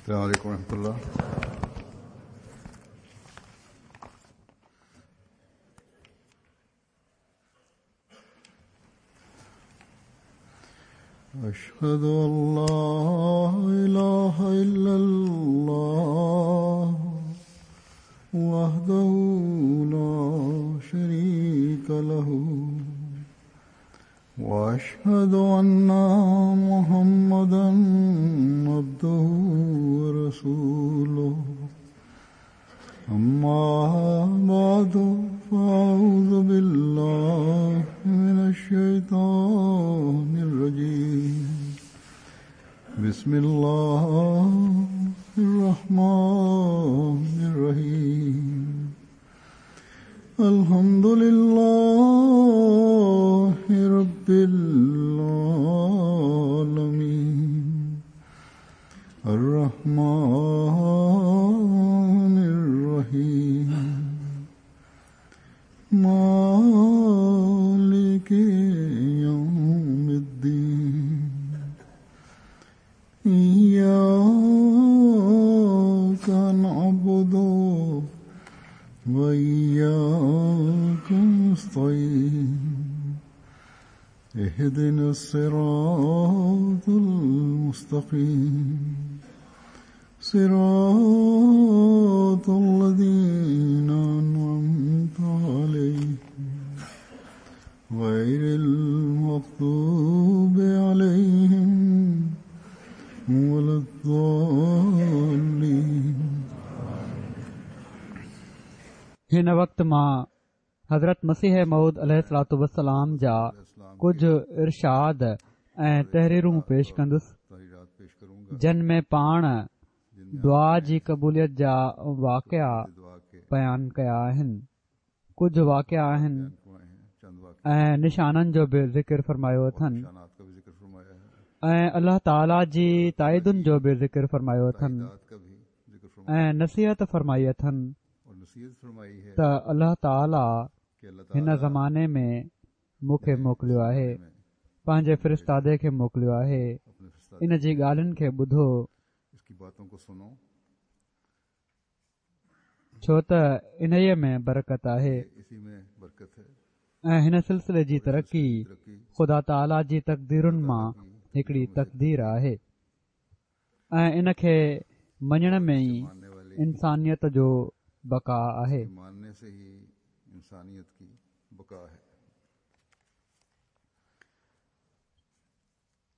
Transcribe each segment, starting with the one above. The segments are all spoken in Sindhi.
السلام عليڪم ورحمة الله. أشهد أن لا إله إلا الله وحده لا شريك له وأشهد أن محمدا عبده ورسوله أما بعد فأعوذ بالله من الشيطان الرجيم بسم الله الرحمن الرحيم الحمد لله رب العالمين الرحمن الرحيم مالك يوم الدين إياك نعبد وإياك نستعين اهدنا الصراط المستقيم صراط الذين أنعمت عليهم غير المغضوب عليهم ولا الضالين. هن وقت مان حضرت مسيح موعود عليه الصلوة والسلام جا ڪجهه ارشاد ۽ تحريرون پيش ڪندس، جن ۾ پاڻ دعا جي قبوليت جا واقعا بيان ڪيا آهن. ڪجهه واقعا آهن ۽ نشانن جو به ذڪر فرمايو اٿن ۽ الله تعاليٰ جي تائيدن جو به ذڪر فرمايو اٿن ۽ نصيحت فرمائي اٿن ته الله تعاليٰ هن زماني ۾ مون کي موڪليو آهي پنهنجي فرستادي کي موڪليو آهي ان جي ڳالهين کي ٻڌو ڇو ته انهيء ۾ برڪت آهي ۽ هن سلسلي جي ترقي خدا تعاليٰ جي تقديرن مان هڪڙي تقدير آهي ۽ ان کي مڃڻ ۾ ئي انسانيت جو بقا آهي.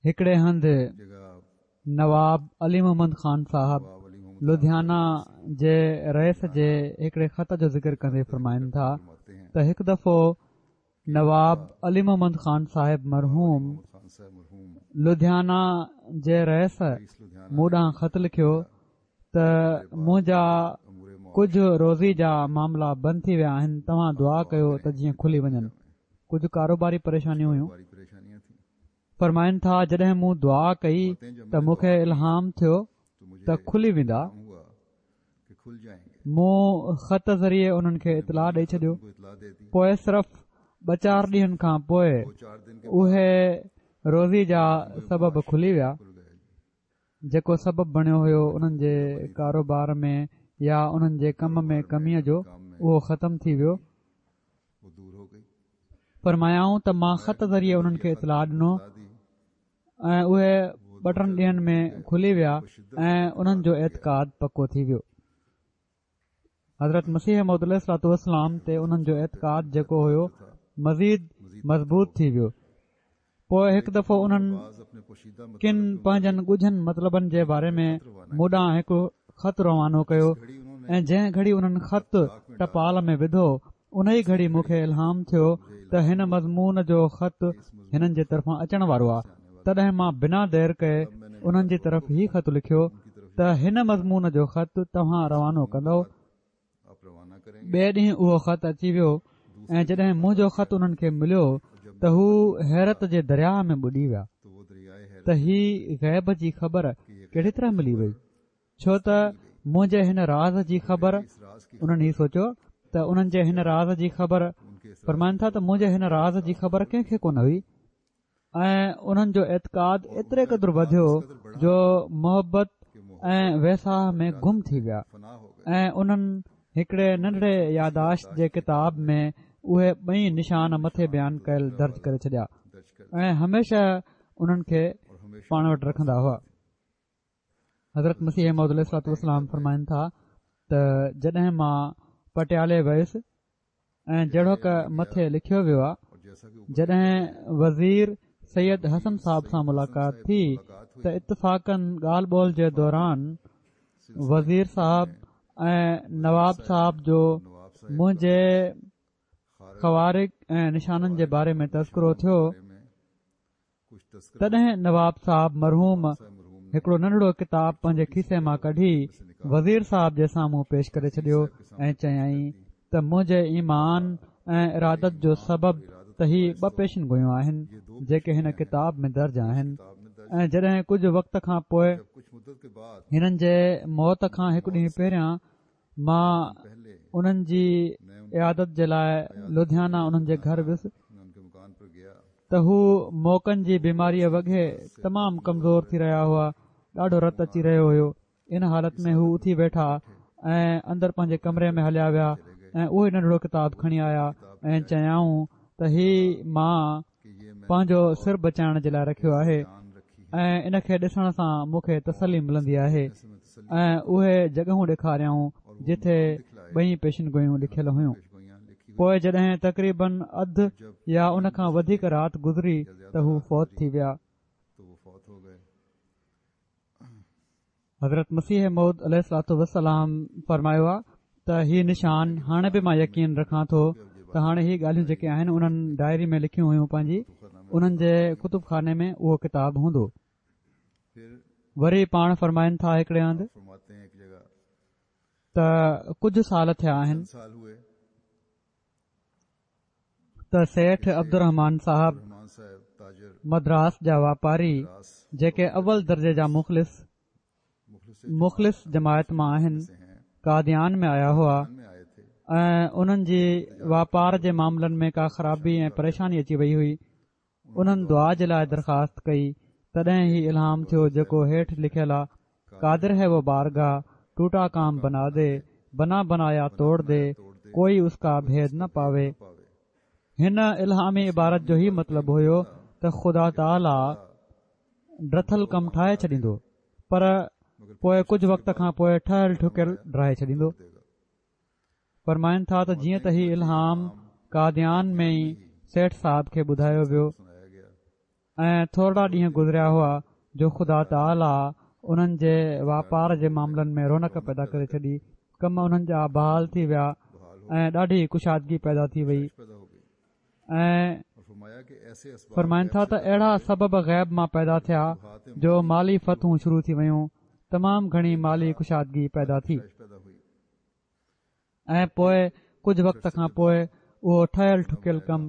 هڪڙي هنڌ نواب علي محمد خان صاحب لڌيانا جي رئيس جي هڪڙي خط جو ذڪر ڪندي فرمائن ٿا ته هڪ دفعو نواب علي محمد خان صاحب مرحوم لڌيانا جي رئيس مون ڏانهن خط لکيو ته منهنجا ڪجهه روزي جا معاملا بند ٿي ويا آهن توهان دعا ڪيو ته جيئن کلي وڃن ڪجهه ڪاروباري پريشانيون هيون فرمائن ٿا جڏهن مون دعا ڪئي ته مون کي الهام ٿيو ته کلي ويندا مون خط ذريعي انهن کي اطلاع ڏئي ڇڏيو پوء صرف ٻه چار ڏينهن کان پوء اهي روزي جا سبب کلي ويا جيڪو سبب بڻيو هيو انهن جي ڪاروبار ۾ يا انهن جي ڪم ۾ ڪميء جو اهو ختم ٿي ويو فرمايائون ته مان خط ذريعي انهن کي اطلاع ڏنو ۽ اهي ٻه ٽن ڏينهن ۾ کلي ويا ۽ انهن جو اعتقاد پڪو ٿي ويو حضرت مسيح موعود عليه الصلوة والسلام تي انهن جو اعتقاد جيڪو هيو مزيد مضبوط ٿي ويو پوء هڪ دفعو انهن ڪن پنهنجن ڳجهن مطلبن جي باري ۾ مون ڏانهن هڪ خط روانو ڪيو ۽ جنهن گهڙي انهن خط ٽپال ۾ وڌو ان ئي گهڙي مون کي الهام ٿيو ته هن مضمون جو خط هنن جي طرفان اچڻ وارو آهي تڏهن مان بنا دير ڪئي انهن جي طرف هي خط لکيو ته هن مضمون جو خط توهان روانو ڪندؤ ٻئي ڏينهن اهو خط اچي ويو ۽ جڏهن منهنجو خط انهن کي مليو ته هو حيرت جي درياهه ۾ ٻڏي ويا ته هي غيب جي خبر ڪهڙي طرح ملي وئي ڇو ته منهنجي هن راز جي خبر انهن هي سوچيو ته انهن جي هن راز جي خبر فرمائن ٿا ته منهنجي هن راز جي خبر ڪنهن کي ڪونه هئي ۽ انهن جو اعتقاد ايتري قدر وڌيو جو محبت ۽ ويساهه ۾ گم ٿي ويا ۽ انهن هڪڙي ننڍڙي ياداشت جي ڪتاب ۾ اهي ٻئي نشان مٿي بيان ڪيل درج ڪري ڇڏيا ۽ هميشه انهن کي پاڻ وٽ رکندا هئا. حضرت مسيح موعود عليه الصلوة والسلام فرمائن ٿا ته جڏهن مان پٽيالي ويس ۽ جهڙوڪ مٿي لکيو ويو آهي جڏهن وزير سيد حسن صاحب سان ملاقات ٿي ته اتفاقاً ڳالهه ٻولهه جي دوران وزير صاحب ۽ نواب صاحب جو منهنجي خوارق ۽ نشانن جي باري ۾ تذڪرو ٿيو تڏهن نواب صاحب مرحوم هڪڙو ننڍڙو ڪتاب پنهنجي کيسي مان ڪڍي وزير صاحب جي سامهون پيش ڪري ڇڏيو ۽ چيائين ته منهنجي ايمان ۽ ارادت جو سبب ته هي ٻه پيشن گويون آهن جيڪي هن ڪتاب ۾ درج آهن ۽ جڏهن ڪجهه وقت کان پوء هنن جي موت کان هڪ ڏينهن پهريان مان انهن جي عيادت جي لاء لڌيانا انهن جي گهر ويس ته هو موڪن جي بيماريء وگهي تمام ڪمزور ٿي رهيا هئا ڏاڍو رت اچي رهيو هيو ان حالت ۾ هو اٿي ويٺا ۽ اندر پنهنجي ڪمري ۾ هليا ويا ۽ اهو ئي ننڍڙو ڪتاب کڻي آيا ۽ چيائون ته هي مان پنهنجو سر بچائڻ جي لاء رکيو آهي ۽ ان کي ڏسڻ سان مون کي تسلي ملندي آهي ۽ اهي جڳهون ڏيکاريائون جتي ٻئي پيشن گويون لکيل هيون پوء جڏهن تقريبن اڌ يا ان کان وڌيڪ رات گذري ته هو فوت ٿي ويا. حضرت مسيح موعود عليه الصلوة والسلام فرمايو آ ته هي نشان هاڻي به مان يقين رکان ٿو ته هاڻي هي ڳالهيون جيڪي آهن انهن ڊائري ۾ لکيون هيون پنهنجي انهن جي ڪتب خاني ۾ اهو ڪتاب هوندو وري پاڻ فرمائن ٿا هڪڙي هنڌ ته ڪجهه سال ٿيا آهن ته سيٺ عبدالرحمان صاحب مدراس جا واپاري جيڪي اول درجي جا مخلص مخلص جماعت مان آهن قاديان ۾ آيا هئا ۽ انهن جي واپار جي معاملن ۾ ڪا خرابي ۽ پريشاني اچي وئي هئي انهن دعا جي لاء درخواست ڪئي تڏهن هي الهام ٿيو جيڪو هيٺ لکيل آ قادر هي وو بارگاهه ٽوٽا ڪام بنا the بنا بنايا توڙ the ڪوئي اس ڪا ڀيد نه پاوي هن الهامي عبارت جو هي مطلب هيو ته خدا تعاليٰ ڊٿل ڪم ٺاهي ڇڏيندو پر پوء ڪجهه وقت کان پوء ٺهيل ٺڪيل ڊاهي ڇڏيندو. فرمائن ٿا ته جيئن ته هي الهام قاديان ۾ ئي سيٺ صاحب کي ٻڌايو ويو ۽ ٿورڙا ڏينهن گذريا هئا جو خدا تعاليٰ انهن جي واپار جي معاملن ۾ رونق پيدا ڪري ڇڏي ڪم انهن جا بحال ٿي ويا ۽ ڏاڍي ڪشادگي پيدا ٿي وئي ۽ فرمائن ٿا ته اهڙا سبب غيب مان پيدا ٿيا جو مالي فتحون شروع ٿي ويون تمام گهڻي مالي ڪشادگي پيدا ٿي. ۽ پوء ڪجهه وقت کان پوء اهو ٺهيل ٺڪيل ڪم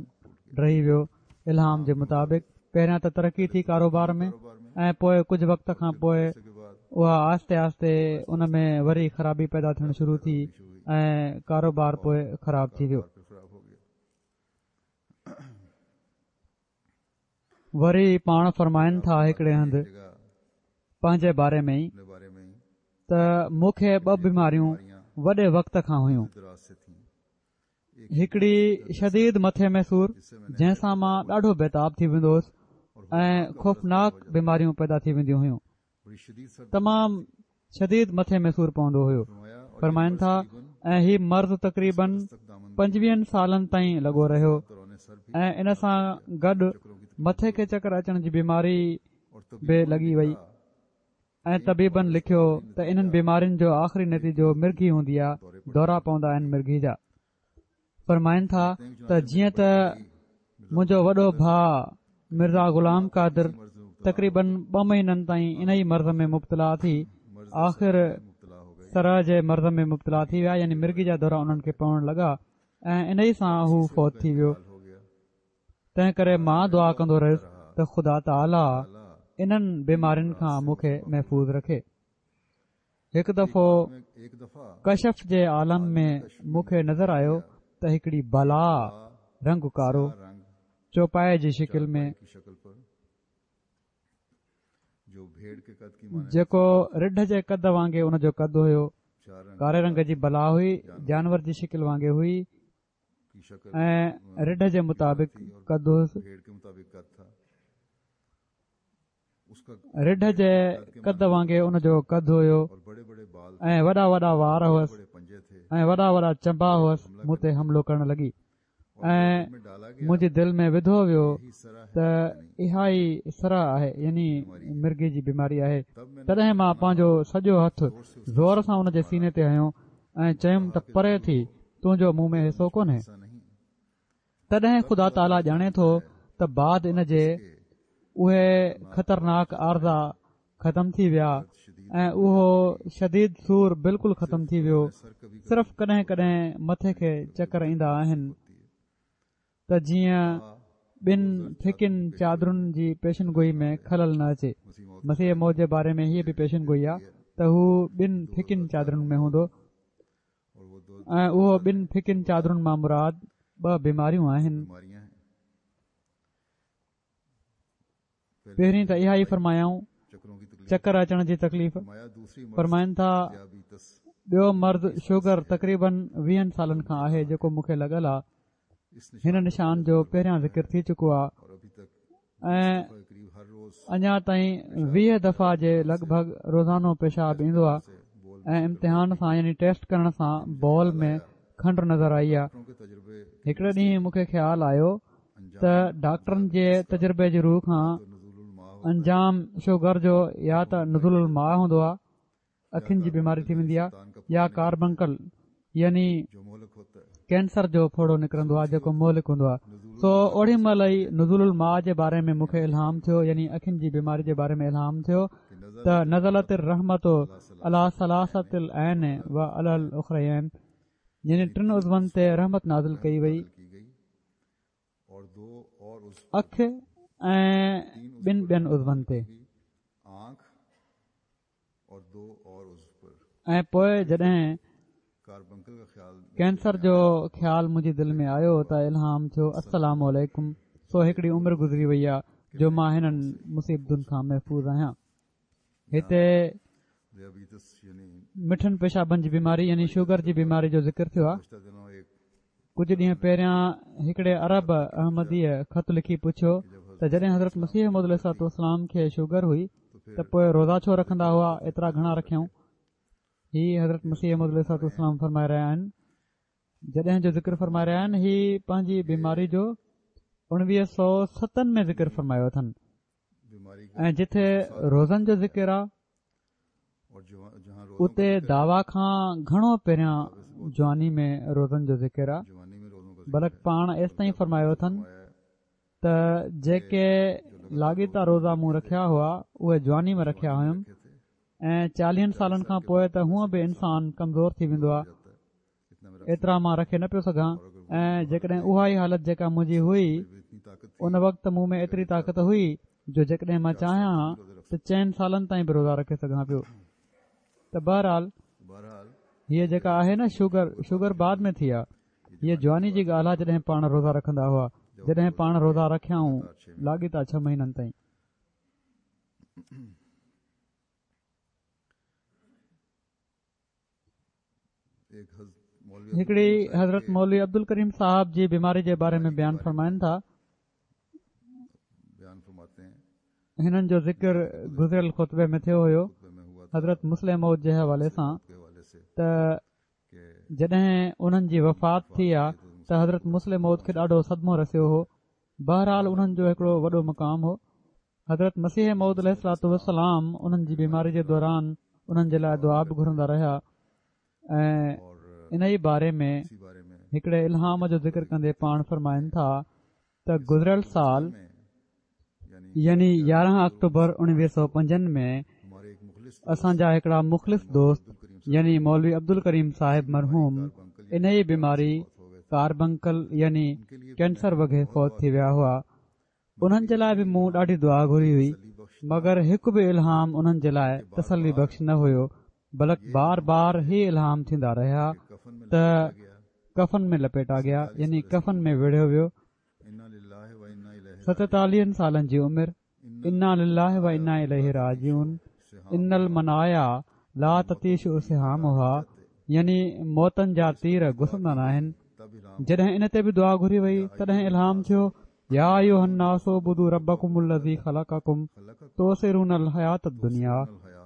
ڊهي ويو الهام جي مطابق پهريان ته ترقي ٿي ڪاروبار ۾ ۽ پوء ڪجهه وقت کان پوء اها آهستي آهستي ان ۾ وري خرابي پيدا ٿيڻ شروع ٿي ۽ ڪاروبار پوء خراب ٿي ويو. وري پاڻ فرمائن ٿا هڪڙي هنڌ پنهنجي باري ۾ ئي ته مون کي ٻه بيماريون وڏي وقت کان هيون هڪڙي شديد مٿي ۾ سور جنهن سان مان ڏاڍو بيتاب ٿي ويندو هوس ۽ خوفناڪ بيماريون پيدا ٿي وينديون هيون تمام شديد مٿي ۾ سور پوندو هيو فرمائن ٿا ۽ هي مرض تقريبن پنجويهن سالن تائين لڳو رهيو ۽ ان سان گڏ مٿي کي چڪر اچڻ جي بيماري به لڳي وئي ۽ طبيبن لکيو ته انهن بيمارين جو آخري نتيجو مرگهي هوندي آهي دورا پوندا آهن مرگهي جا فرمائن ٿا ته جيئن ته منهنجو وڏو ڀاء مرزا غلام قادر تقريبن ٻه مهينن تائين ان ئي مرض ۾ مبتلا ٿي آخر صرع جي مرض ۾ مبتلا ٿي ويا يعني مرگي جا دورا انهن کي پوڻ لڳا ۽ ان ئي سان هو فوت ٿي ويو تنهن ڪري مان دعا ڪندو رهيس ته خدا تعاليٰ انهن بيمارين کان مون کي محفوظ رکي هڪ دفعو ڪشف جي عالم ۾ مون کي نظر آيو ته هڪڙي بلا رنگ ڪارو چوپائي جي شڪل ۾ جيڪو رڍ جي قد وانگي ان جو قد هيو. ڪاري رنگ جي بلا هئي، جانور جي شڪل وانگي هئي ۽ رڍ جي مطابق قد هيس. رڍ جي قد وانگي ان جو قد هيو ۽ وڏا وڏا وار هئس ۽ وڏا وڏا چنبا هئس مون تي حملو ڪرڻ لڳي ۽ منهنجي دل ۾ وڌو ويو ته اها ئي صرع آهي يعني مرگي جي بيماري آهي تڏهن مان پنهنجو سڄو هٿ زور سان ان جي سيني تي هنيو ۽ چيم ته پري ٿي تنهنجو مون ۾ حصو ڪونهي تڏهن خدا تعاليٰ ڄاڻي ٿو ته بعد ان جي اهي خطرناڪ عارضا ختم ٿي ويا ۽ اهو شديد سور بلڪل ختم ٿي ويو صرف ڪڏهن ڪڏهن مٿي کي چڪر ايندا آهن ته جيئن ٻن ڦڪين چادرن جي پيشن گوئي ۾ خلل نه اچي مسيح موعود جي باري ۾ هيء به پيشن گوئي آهي ته هو ٻن ڦڪين چادرن ۾ هوندو ۽ اهو ٻن ڦڪين چادرن مان مراد ٻه بيماريون آهن. پهرين ته اها ئي فرمايائون چڪر اچڻ جي تڪليف فرمائن ٿا ٻيو مرض شوگر تقريبن ويهن سالن کان آهي جيڪو مون کي لڳل آهي هن نشان جو پهريان ذڪر ٿي چڪو آهي ۽ اڃا تائين 20 دفعا جي لڳ ڀڳ روزانو پيشاب ايندو آهي ۽ امتحان سان يعني ٽيسٽ ڪرڻ سان بول ۾ کنڊ نظر آئي آهي هڪڙي ڏينهن مون کي خيال آيو ته ڊاڪٽرن جي تجربي جي رو کان انجام شوگر جو يا ته نزول الماء هوندو آهي اکين جي بيماري ٿي ويندي آهي يا ڪاربنڪل يعني ڪينسر جو ڦوڙو نڪرندو آهي جيڪو مهلڪ هوندو آهي سو اوڏي مهل ئي نزول الماء جي باري ۾ مون کي الهام ٿيو يعني اکين جي بيماري جي باري ۾ الهام ٿيو ته نزلت الرحمت علي ثلاثة العين و علي الاخريين يعني ٽن عضون تي رحمت نازل ڪئي وئي اک ۽ ٻن ٻين عضون تي ۽ پوء جڏهن ڪينسر جو خيال منهنجي دل ۾ آيو ته الهام ٿيو السلام عليڪم سو هڪڙي عمر گذري وئي آهي جو مان هنن مصيبتن کان محفوظ آهيان هتي مٺن پيشابن جي بيماري يعني شوگر جي بيماري جو ذڪر ٿيو آهي ڪجهه ڏينهن پهريان هڪڙي عرب احمديء خط لکي پڇيو ته جڏهن حضرت مسيح موعود عليه الصلوة والسلام کي شوگر هئي ته پوء روزا ڇو رکندا هئا ايترا گهڻا رکيائون هي حضرت مسيح موعود عليه الصلوة والسلام فرمائي رهيا آهن جڏهن جو ذڪر فرمائي رهيا آهن هي پنهنجي بيماري جو اڻويهه سو ستن ۾ ذڪر فرمايو اٿن ۽ جتي روزن جو ذڪر آ اتي دعويٰ کان گهڻو پهريان جواني ۾ روزن جو ذڪر آ بلڪ پاڻ ايستائين فرمايو اٿن ته جيڪي لاڳيتا روزا مون رکيا هئا اهي جواني ۾ رکيا هيم ۽ چاليهن سالن کان پوء ته هونء به انسان ڪمزور ٿي ويندو آ ايترا مان رکي نه پيو سگهان ۽ جيڪڏهن اها ئي حالت جيڪا منهنجي هئي ان وقت مون ۾ ايتري طاقت هئي جو جيڪڏهن مان چاهيان ها ته چئن سالن تائين به روزا رکي سگهان پيو ته بهرحال هيء جيڪا آهي نه شوگر شوگر بعد ۾ ٿي آ هيء جواني جي ڳالهه آ جڏهن پاڻ روزا رکندا هئا جڏهن پاڻ روزا رکيائون لاڳيتا ڇهه مهينن تائين هڪڙي حضرت مولوي عبدالڪريم صاحب جي بيماري جي باري ۾ بيان فرمائن ٿا هنن جو ذڪر گذريل خطبي ۾ ٿيو هيو حضرت مصلح موعود جي حوالي سان ته جڏهن انهن جي وفات ٿي آ ته حضرت مصلح موعود کي ڏاڍو صدمو رسيو هو بهرحال انهن جو هڪڙو وڏو مقام هو حضرت مسيح موعود عليه الصلوة والسلام انهن جي بيماري جي دوران انهن جي لاء دعا به گهرندا رهيا ۽ ان ئي باري ۾ هڪڙي الهام جو ذڪر ڪندي پاڻ فرمائن ٿا ته گذريل سال يعني 11 آڪٽوبر 1905 ۾ اسان جا هڪڙا مخلص دوست يعني مولوي عبدالڪريم صاحب مرحوم انهي بيماري ڪاربنڪل يعني ڪينسر وگهي فوت ٿي ويا هئا انهن جي لاء به مون ڏاڍي دعا گهري هئي مگر هڪ به الهام انهن جي لاء تسلي بخش نه هيو بلڪ بار بار هي الهام ٿيندا رهيا ته ڪفن ۾ لپيٽا گيا يعني ڪفن ۾ ويڙهيو ويو ستيتاليهن سالن جي عمر. انا لله و انا اليه راجعون ان المنايا لا تطيش سهامها يعني موتن جا تير گسندا ناهن. جڏهن ان تي به دعا گهري وئي تڏهن الهام ٿيو، يا ايها الناس اعبدوا ربڪم الذي خلقڪم تؤثرون الحياة الدنيا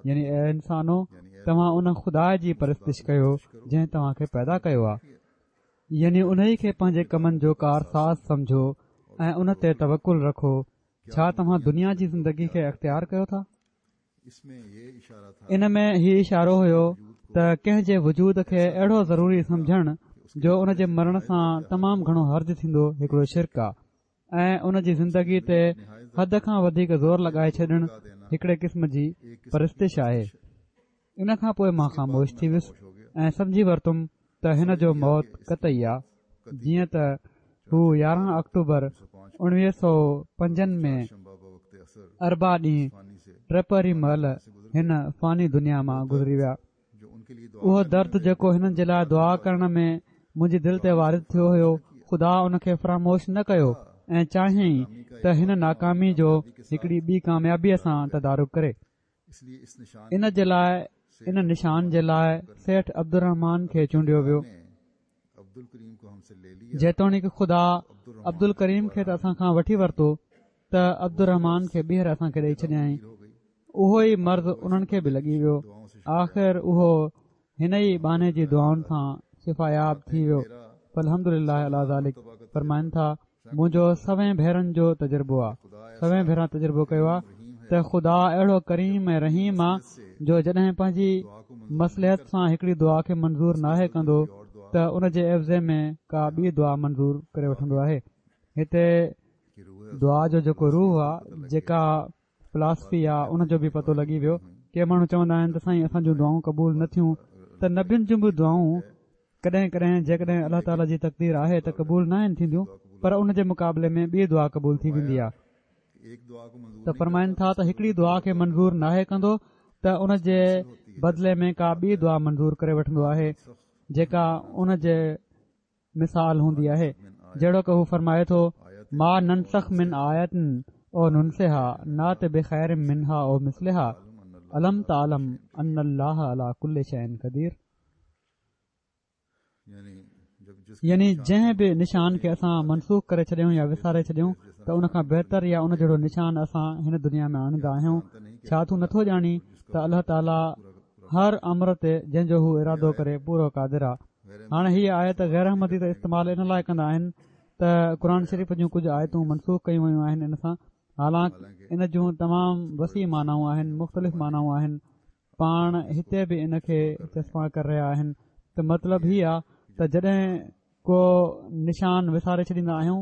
يعني اي انسانو توهان ان خدا جي پرستش ڪيو جنهن توهان کي پيدا ڪيو آهي يعني انهي کي پنهنجي ڪمن جو ڪارساز سمجهو ۽ ان تي توڪل رکو ڇا توهان دنيا جي زندگي کي اختيار ڪيو ٿا؟ ان ۾ هي اشارو هيو ته ڪنهن جي وجود کي اهڙو ضروري سمجهڻ جو ان جي مرڻ سان تمام گهڻو حرج ٿيندو هڪڙو شرڪ آ ۽ ان جي زندگي تي حد کان وڌيڪ زور لڳائي ڇڏڻ هڪڙي قسم جي پرستش آهي. ان کان پوء مان خاموش ٿي ويس ۽ سمجهي ورتم ته هن جو موت قطعي آ، جيئن ته هو 11 آڪٽوبر 1905 ۾ اربع ڏينهن ٽپهري مهل هن فاني دنيا مان گذري ويا. اهو درد جيڪو هنن جي لاء دعا ڪرڻ ۾ منهنجي دل تي وارد ٿيو هيو، خدا ان کي فراموش نه ڪيو ۽ چاهيائين ته هن ناڪامي جو هڪڙي ٻي ڪاميابيء سان تدارڪ ڪري. ان جي لاء ان نشان جي لاء سيٺ عبدالرحمان کي چونڊيو ويو. جيتوڻيڪ خدا عبدالڪريم کي ته اسان کان وٺي ورتو ته عبدالرحمان کي ٻيهر اسان کي ڏئي ڇڏيائين. اهو ئي مرض انهن کي به لڳي ويو. آخر اهو هن ئي ٻانهي جي دعائن سان شفاياب ٿي ويو فالحمد لله علي ذلڪ فرمائن ٿا منهنجو سوين ڀيرن جو تجربو آ سوين ڀيرا تجربو ڪيو آ ته خدا اهڙو ڪريم ۽ رحيم آ جو جڏهن پنهنجي مصلحت سان هڪڙي دعا کي منظور ناهي ڪندو ته ان جي عيوضي ۾ ڪا ٻي دعا منظور ڪري وٺندو آهي هتي دعا جو جيڪو روح آ جيڪا فلاسفي آ ان جو به پتو لڳي ويو ڪي ماڻهو چوندا آهن ته سائين اسان جون دعائون قبول نه ٿيون ته نبين جون به دعائون ڪڏهن ڪڏهن جيڪڏهن الله تعالي جي تقدير آهي ته قبول ناهن ٿينديون پر ان جي مقابلي ۾ ٻي دعا قبول ٿي ويندي آ ته فرمائن ٿا ته هڪڙي دعا کي منظور ناهي ڪندو ته ان جي بدلي ۾ ڪا ٻي دعا منظور ڪري وٺندو آهي جيڪا ان جي مثال هوندي آهي جهڙوڪ هو فرمائي ٿو ما ننسخ من آية او ننسها نات بخير منها او مثلها الم تعلم ان الله علي ڪل شيء قدير يعني جنهن به نشان کي اسان منسوخ ڪري ڇڏيون يا وساري ڇڏيون ته ان کان بهتر يا ان جهڙو نشان اسان هن دنيا ۾ آڻيندا آهيون ڇا تون نٿو ڄاڻين ته الله تعالي هر امر تي جنهن جو هو ارادو ڪري پورو قادر آ. هاڻي هيء آيت غير احمدي ته استعمال ان لاء ڪندا آهن ته قرآن شريف جون ڪجهه آيتون منسوخ ڪيون ويون آهن ان سان حالانڪ ان جون تمام وسيع معنائون آهن مختلف معنائون آهن پاڻ هتي به ان کي چسپان ڪري رهيا آهن ته مطلب هي آ ته جڏهن ڪو نشان وساري ڇڏيندا آهيون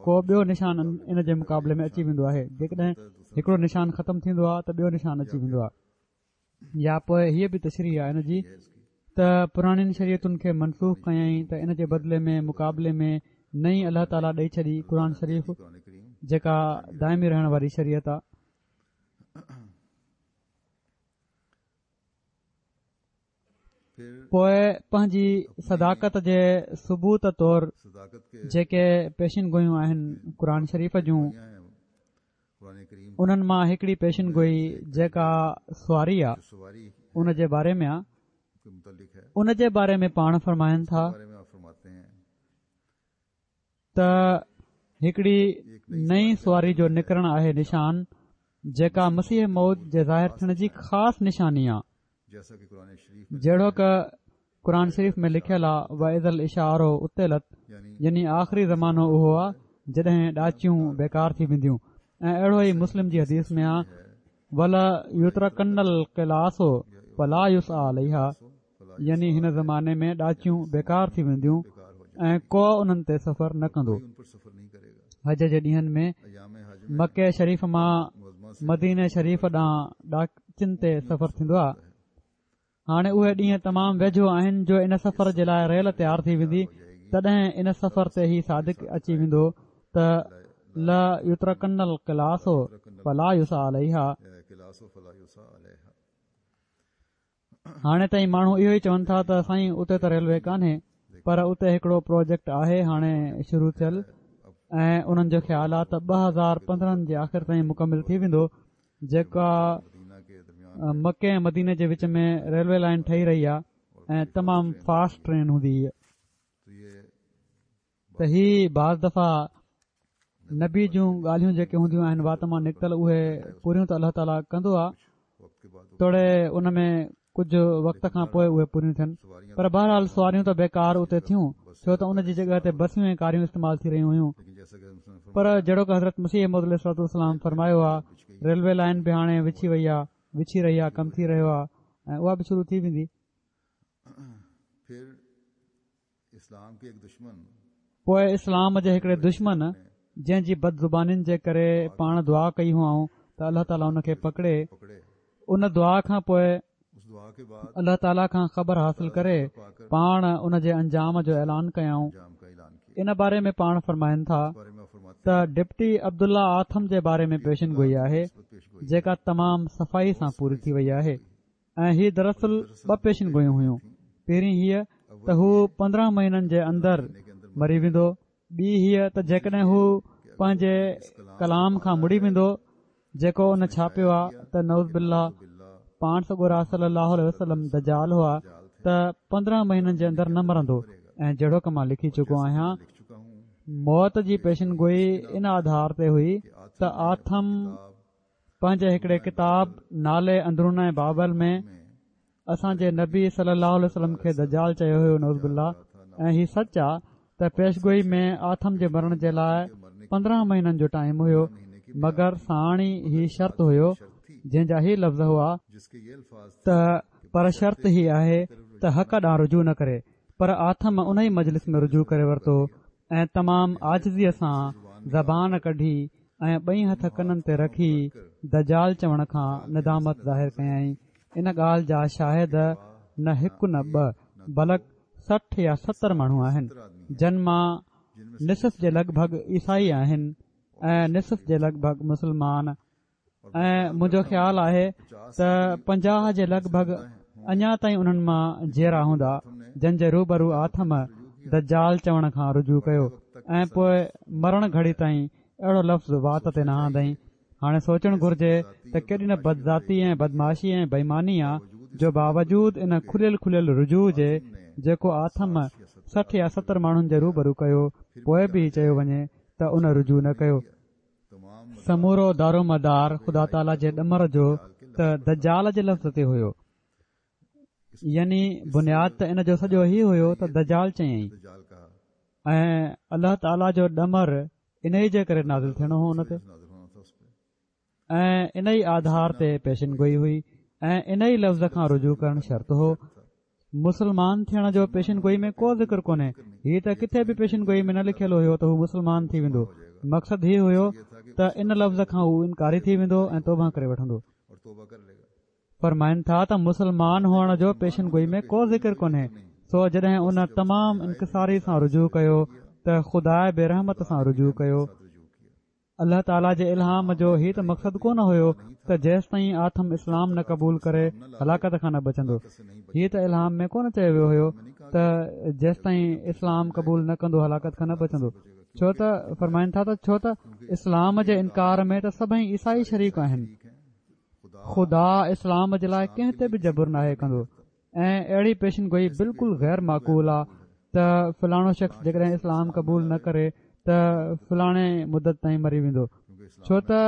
ڪو ٻيو نشان ان جي مقابلي ۾ اچي ويندو آهي جيڪڏهن هڪڙو نشان ختم ٿيندو آ ته ٻيو نشان اچي ويندو آ يا پوء هيء به تشريح آهي ان جي ته پراڻين شريعتن کي منسوخ ڪيائين ته ان جي بدلي ۾ مقابلي ۾ نئين الله تعاليٰ ڏئي ڇڏي قرآن شريف جيڪا دائمي رهڻ واري شريعت آهي. پوء پنهنجي صداقت جي ثبوت طور جيڪي پيشن گوئيون آهن قرآن شريف جون انهن مان هڪڙي پيشن گوئي جيڪا سواري آ ان جي باري ۾ آ ان جي باري ۾ پاڻ فرمائن ٿا ته هڪڙي نئين سواري جو نڪرڻ آهي نشان جيڪا مسيح موعود جي ظاهر ٿيڻ جي خاص نشاني آ جهڙوڪ قرآن شريف ۾ لکيل آ واذا العشار عطلت يعني آخري زمانو اهو آ جڏهن ڏاچيون بيڪار ٿي وينديون ۽ اهڙو ئي مسلم جي حديث ۾ آ وليترڪن القلاص فلا يسعيٰ عليها يعني هن زماني ۾ ڏاچيون بيڪار ٿي وينديون ۽ ڪو انهن تي سفر نه ڪندو حج جي ڏينهن ۾ مڪي شريف مان مديني شريف ڏانهن ڏاچين تي سفر ٿيندو آ هاڻي اهي ڏينهن تمام ويجهو آهن جو ان سفر جي لاء ريل تيار ٿي ويندي تڏهن ان سفر تي هي صادق اچي ويندو ته ليترڪن القلاص فلا يسعيٰ عليها هاڻي تائين ماڻهو اهو ئي چون ٿا ته سائين اتي ته ريلوي ڪانهي پر اتي هڪڙو پروجيڪٽ آهي هاڻي شروع ٿيل. ۽ انهن جو خيال آهي ته 2015 جي آخر تائين مڪمل ٿي ويندو جيڪا مڪي ۽ مديني جي وچ ۾ ريلوي لائين ٺهي رهي آهي ۽ تمام فاسٽ ٽرين هوندي هيء ته هي بعض دفعا نبي جون ڳالهيون جيڪي هونديون آهن وات مان نڪتل اهي پوريون ته الله تعاليٰ ڪندو آهي توڙي ان ۾ ڪجهه وقت کان پوء اهي پوريون ٿين پر بهرحال سواريون ته بيڪار اتي ٿيون ڇو ته ان جي جڳهه تي بسيون ۽ ڪاريون استعمال ٿي رهيون هيون پر جهڙوڪ حضرت مسيح موعود عليه الصلوة والسلام فرمايو آهي ريلوي لائين به هاڻي وڇي وئي آهي وڇي رهي آهي ڪم ٿي رهيو آهي ۽ اها به شروع ٿي ويندي. پوء اسلام جي هڪڙي دشمن جنهن جي بدزبانين جي ڪري پاڻ دعا ڪئي هئائون ته الله تعاليٰ ان کي پڪڙي ان دعا کان پوء الله تعاليٰ کان خبر حاصل ڪري پاڻ ان جي انجام جو اعلان ڪيائون ان باري ۾ پاڻ فرمائن ٿا ته ڊپٽي عبدالله آٿم جي باري ۾ پيشن گوئي آهي جيڪا تمام صفائي سان پوري ٿي وئي آهي ۽ هي دراصل ٻه پيشن گوئيون هيون، پهرين هيء ته هو 15 مهينن جي اندر مري ويندو، ٻي هيء ته جيڪڏهن هو پنهنجي ڪلام کان مڙي ويندو جيڪو ان ڇاپيو آ ته نعوذ بالله پاڻ سڳورا صلي الله عليه وسلم دجال هئا ته 15 مهينن جي اندر نه مرندو ۽ جهڙوڪ مان لکي چڪو آهيان موت جي پيشن گوئي ان آڌار تي هئي ته آٿم پنهنجي هڪڙي ڪتاب نالي اندرون بابل ۾ اسان جي نبي صلي الله عليه وسلم کي دجال چيو هيو نعوذ بالله ۽ هي سچ آ ته پيشگوئي ۾ آٿم جي مرڻ جي لاء 15 مهينن جو ٽائيم هيو مگر ساڻ ئي هي شرط هيو جنهن جا هي لفظ هئا ته پر شرط هي آهي ته حق ڏانهن رجوع نه ڪري پر آٿم ان ئي مجلس ۾ رجوع ڪري ورتو ۽ تمام عاجزيء سان زبان ڪڍي ۽ ٻئي هٿ ڪنن تي رکي دجال چوڻ کان ندامت ظاهر ڪيائين. ان ڳالهه جا شاهد نه هڪ نه ٻه بلڪ 60 يا 70 ماڻهو آهن، جن مان نصف جي لڳ ڀڳ عيسائي آهن ۽ نصف جي لڳ ڀڳ مسلمان ۽ منهنجو خيال آهي ته 50 جي لڳ ڀڳ اڃا تائين انهن مان جيئرا هوندا جن جي روبرو آٿم دجال چوڻ کان رجوع ڪيو ۽ پوء مرڻ گهڙي تائين اهڙو لفظ وات تي نه آندائين. هاڻي سوچڻ گهرجي ته ڪيڏي نه بدذاتي ۽ بدمعاشي ۽ بيماني آ جو باوجود ان کليل کليل رجوع جي جيڪو آٿم 60 يا 70 ماڻهن جي روبرو ڪيو پوء به هي چيو وڃي ته ان رجوع نه ڪيو. سمورو دارومدار خدا تعاليٰ جي ڏمر جو ته دجال جي لفظ تي هيو. يعني بنياد ته ان جو سڄو هي هيو ته دجال چيائين ۽ الله تعاليٰ جو ڏمر انهي جي ڪري نازل ٿيڻو هو ان تي ۽ انهي آڌار تي پيشن گوئي هئي ۽ انهي لفظ کان رجوع ڪرڻ شرط هو مسلمان ٿيڻ جو پيشن گوئي ۾ ڪو ذڪر ڪونهي هي ته ڪٿي به پيشن گوئي ۾ نه لکيل هيو ته هو مسلمان ٿي ويندو مقصد هي هيو ته ان لفظ کان هو انڪاري ٿي ويندو ۽ توبه ڪري وٺندو فرمائن ٿا ته مسلمان هئڻ جو پيشن گوئي ۾ ڪو ذڪر ڪونهي سو جڏهن ان تمام انڪساري سان رجوع ڪيو ته خدا به رحمت سان رجوع ڪيو الله تعاليٰ جي الهام جو هي ته مقصد ڪونه هيو ته جيستائين آٿم اسلام نه قبول ڪري هلاڪت کان نه بچندو هي ته الهام ۾ ڪونه چيو ويو هيو ته جيستائين اسلام قبول نه ڪندو هلاڪت کان نه بچندو ڇو ته فرمائن ٿا ته ڇو ته اسلام جي انڪار ۾ ته سڀئي عيسائي شريڪ آهن خدا اسلام جي لاء ڪنهن تي به جبر ناهي ڪندو ۽ اهڙي پيشن گوئي بلڪل غير معقول آ ته فلاڻو شخص جيڪڏهن اسلام قبول نه ڪري ته فلاڻي مدت تائين مري ويندو ڇو ته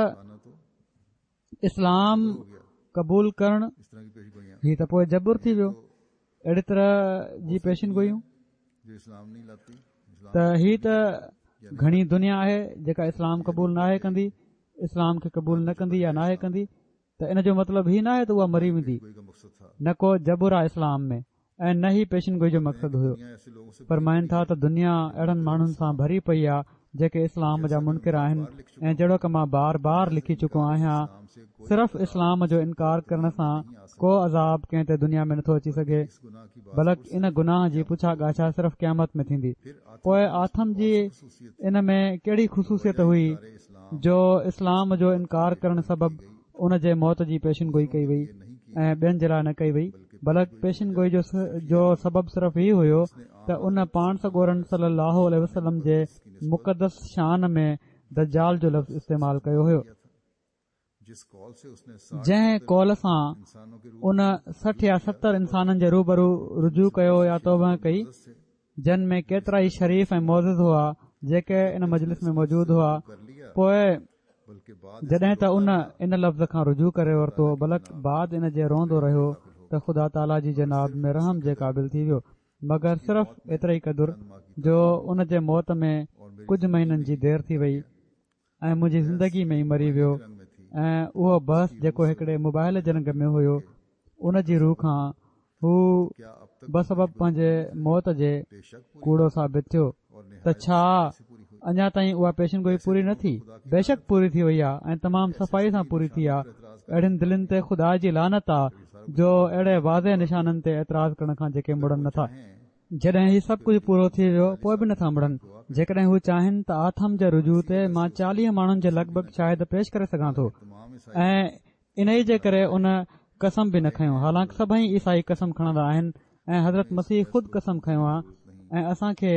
اسلام قبول ڪرڻ هي ته پوء جبر ٿي ويو اهڙي طرح جي پيشن گوئيون ته هي ته گهڻي دنيا آهي جيڪا اسلام قبول ناهي ڪندي اسلام کي قبول نه ڪندي يا ناهي ڪندي ته ان جو مطلب هي ناهي ته اها مري ويندي نه ڪو جبر آهي اسلام ۾ ۽ نه هي پيشن گوئي جو مقصد هيو فرمائن ٿا ته دنيا اهڙن ماڻهن سان ڀري پئي آهي جيڪي اسلام جا منڪر آهن ۽ جهڙوڪ مان بار بار لکي چڪو آهيان صرف اسلام جو انڪار ڪرڻ سان ڪو عذاب ڪنهن تي دنيا ۾ نٿو اچي سگهي بلڪ ان گناهه جي پڇا ڳاڇا صرف قيامت ۾ ٿيندي پوء آٿم جي ان ۾ ڪهڙي خصوصيت هئي جو اسلام جو انڪار ڪرڻ سبب ان جي موت جي پيشن گوئي ڪئي وئي. ۽ ٻين جي لاء نه ڪئي وئي بلڪ پيشن گوئي جو سبب صرف هي هيو ته ان پاڻ سڳورن صلي الله عليه وسلم جي مقدس شان ۾ دجال جو لفظ استعمال ڪيو هيو. جنهن قول سان ان 60 يا 70 انسانن جي روبرو رجوع ڪيو يا توبه ڪئي جن ۾ ڪيترائي شريف ۽ معزز هئا جيڪي ان مجلس ۾ موجود هئا پوء جڏهن ته ان ان لفظ کان رجوع ڪري ورتو بلڪ بعد ان جي روئندو رهيو ته خدا تعاليٰ جي جناب ۾ رحم جي قابل ٿي ويو مگر صرف ايتري قدر جو ان جي موت ۾ ڪجهه مهينن جي دير ٿي وئي ۽ منهنجي زندگي ۾ ئي مري ويو ۽ اهو بحث جيڪو هڪڙي مباهلي جي رنگ ۾ هيو ان جي رو کان هو بسبب پنهنجي موت جي ڪوڙو ثابت ٿيو ته ڇا اڃا تائين اها پيشن گوئي پوري نه ٿي بيشڪ پوري ٿي وئي آهي ۽ تمام صفائي سان پوري ٿي آهي اهڙين دلين تي خدا جي لعنت آ جو اهڙي واضح نشانن تي اعتراض ڪرڻ کان جيڪي مڙن نٿا جڏهن هي سڀ ڪجهه پورو ٿي ويو پوء به نٿا مڙن. جيڪڏهن هو چاهين ته آٿم جي رجوع تي مان 40 ماڻهن جي لڳ ڀڳ شاهد پيش ڪري سگهان ٿو ۽ انهي جي ڪري ان قسم به نه کنيو حالانڪ سڀئي عيسائي قسم کڻندا آهن ۽ حضرت مسيح خود قسم کنيو آ ۽ اسان کي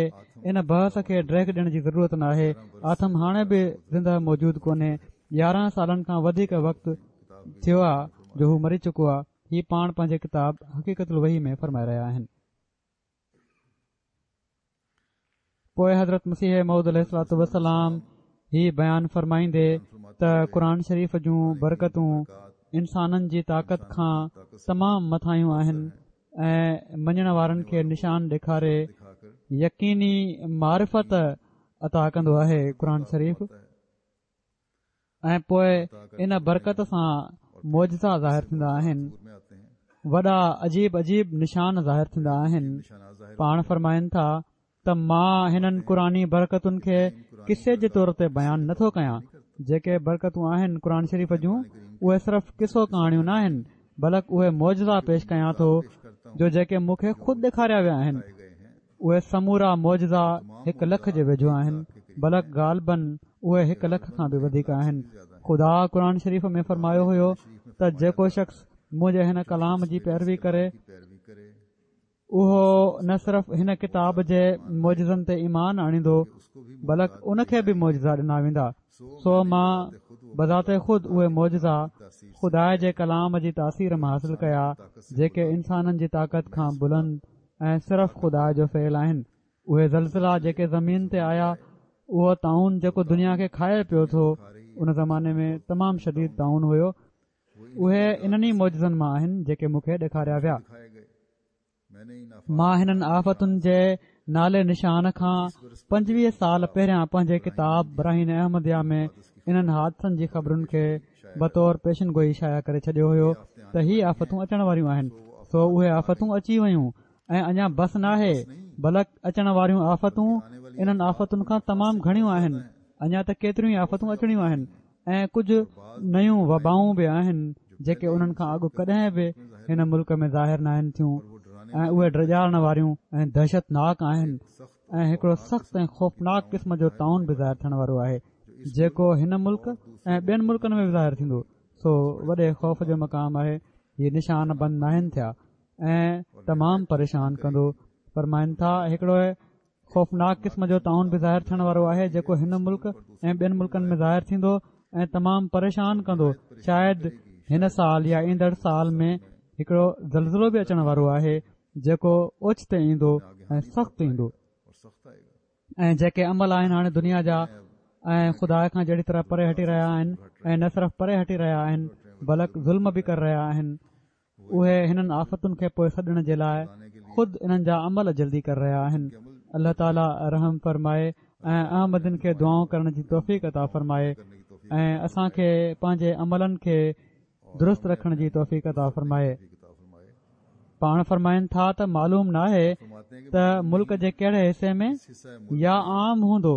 ان بحث کي ڊيگهه ڏيڻ جي ضرورت ناهي آٿم هاڻي به زنده موجود ڪونهي 11 سالن کان وڌيڪ وقت ٿيو آ جو هو مري چڪو آ هي پاڻ پنهنجي ڪتاب حقيقت الوحي ۾ فرمائي رهيا آهن. پوء حضرت مسيح موعود عليه الصلوة والسلام هي بيان فرمائيندي ته قرآن شريف جون برڪتون انسانن جي طاقت کان تمام مٿاهيون آهن ۽ مڃڻ وارن کي نشان ڏيکاري يقيني معرفت عطا ڪندو آهي قرآن شريف ۽ پوء ان برڪت سان معجزا ظاهر ٿيندا آهن وڏا عجيب عجيب نشان ظاهر ٿيندا آهن پاڻ فرمائن ٿا ته مان هنن قرآني برڪتن کي قصي جي طور تي بيان نٿو ڪيان جيڪي برڪتون آهن قرآن شريف جون اهي صرف قصو ڪهاڻيون نه آهن بلڪ اهي معجزا پيش ڪيان ٿو جو جيڪي مون کي خود ڏيکاريا ويا آهن اهي سمورا معجزا هڪ لک جي ويجهو آهن، بلڪ غالباً اهي هڪ لک کان به وڌيڪ آهن. خدا قرآن شريف ۾ فرمايو هيو ته جيڪو شخص منهنجي هن ڪلام جي پيروي ڪري، اهو نه صرف هن ڪتاب جي معجزن تي ايمان آڻيندو، بلڪ ان کي به معجزا ڏنا ويندا. سو مان بذات خود اهي معجزا خدا جي ڪلام جي تاثير مان حاصل ڪيا، جيڪي انسانن جي طاقت کان بلند ۽ صرف خدا جو فعل آهن. اهي زلزلا جيڪي زمين تي آيا، اهو طاعون جيڪو دنيا کي کائي پيو ٿو، ان زماني ۾ تمام شديد طاعون هيو، اهي انهن ئي معجزن مان آهن جيڪي مون کي ڏيکاريا ويا. مان هنن آفتن جي نالي نشان کان 25 سال پهريان پنهنجي ڪتاب براهين احمديه ۾ انهن حادثن جي خبرن کي بطور پيشن گوئي شايع ڪري ڇڏيو هيو ته هي آفتون اچڻ واريون آهن سو اهي آفتون اچي ويون ۽ اڃا بس ناهي بلڪ اچڻ واريون آفتون انهن آفتن کان تمام گهڻيون آهن اڃا ته ڪيتريون ئي آفتون اچڻيون آهن ۽ ڪجهه نيون وبائون به آهن جيڪي انهن کان اڳ ڪڏهن به هن ملڪ ۾ ظاهر ناهن ٿيون ۽ اهي ڊيڄارڻ واريون ۽ دهشتناڪ آهن ۽ هڪڙو سخت ۽ خوفناڪ قسم جو طاعون به ظاهر ٿيڻ وارو آهي جيڪو هن ملڪ ۽ ٻين ملڪن ۾ به ظاهر ٿيندو سو وڏي خوف جو مقام آهي هي نشان بند ناهن ٿيا ۽ تمام پريشان ڪندو فرمائن ٿا هڪڙو خوفناڪ قسم جو طاعون به ظاهر ٿيڻ وارو آهي جيڪو هن ملڪ ۽ ٻين ملڪن ۾ ظاهر ٿيندو ۽ تمام پريشان ڪندو شايد هن سال يا ايندڙ سال ۾ هڪڙو زلزلو به اچڻ وارو آهي جيڪو اوچتي ايندو ۽ سخت ايندو ۽ جيڪي عمل آهن هاڻي دنيا جا ۽ خدا کان جهڙي طرح پري هٽي رهيا آهن ۽ نه صرف پري هٽي رهيا آهن بلڪ ظلم به ڪري رهيا آهن اهي هنن آفتن کي پوء سڏڻ جي لاء خود انهن جا عمل جلدي ڪري رهيا آهن الله تعالي رحم فرمائي ۽ احمدين کي دعائون ڪرڻ جي توفيق عطا فرمائي ۽ اسان کي پنهنجي عملن کي درست رکڻ جي توفيق عطا فرمائي. پاڻ فرمائن ٿا ته معلوم ناهي ته ملڪ جي ڪهڙي حصي ۾ يا عام هوندو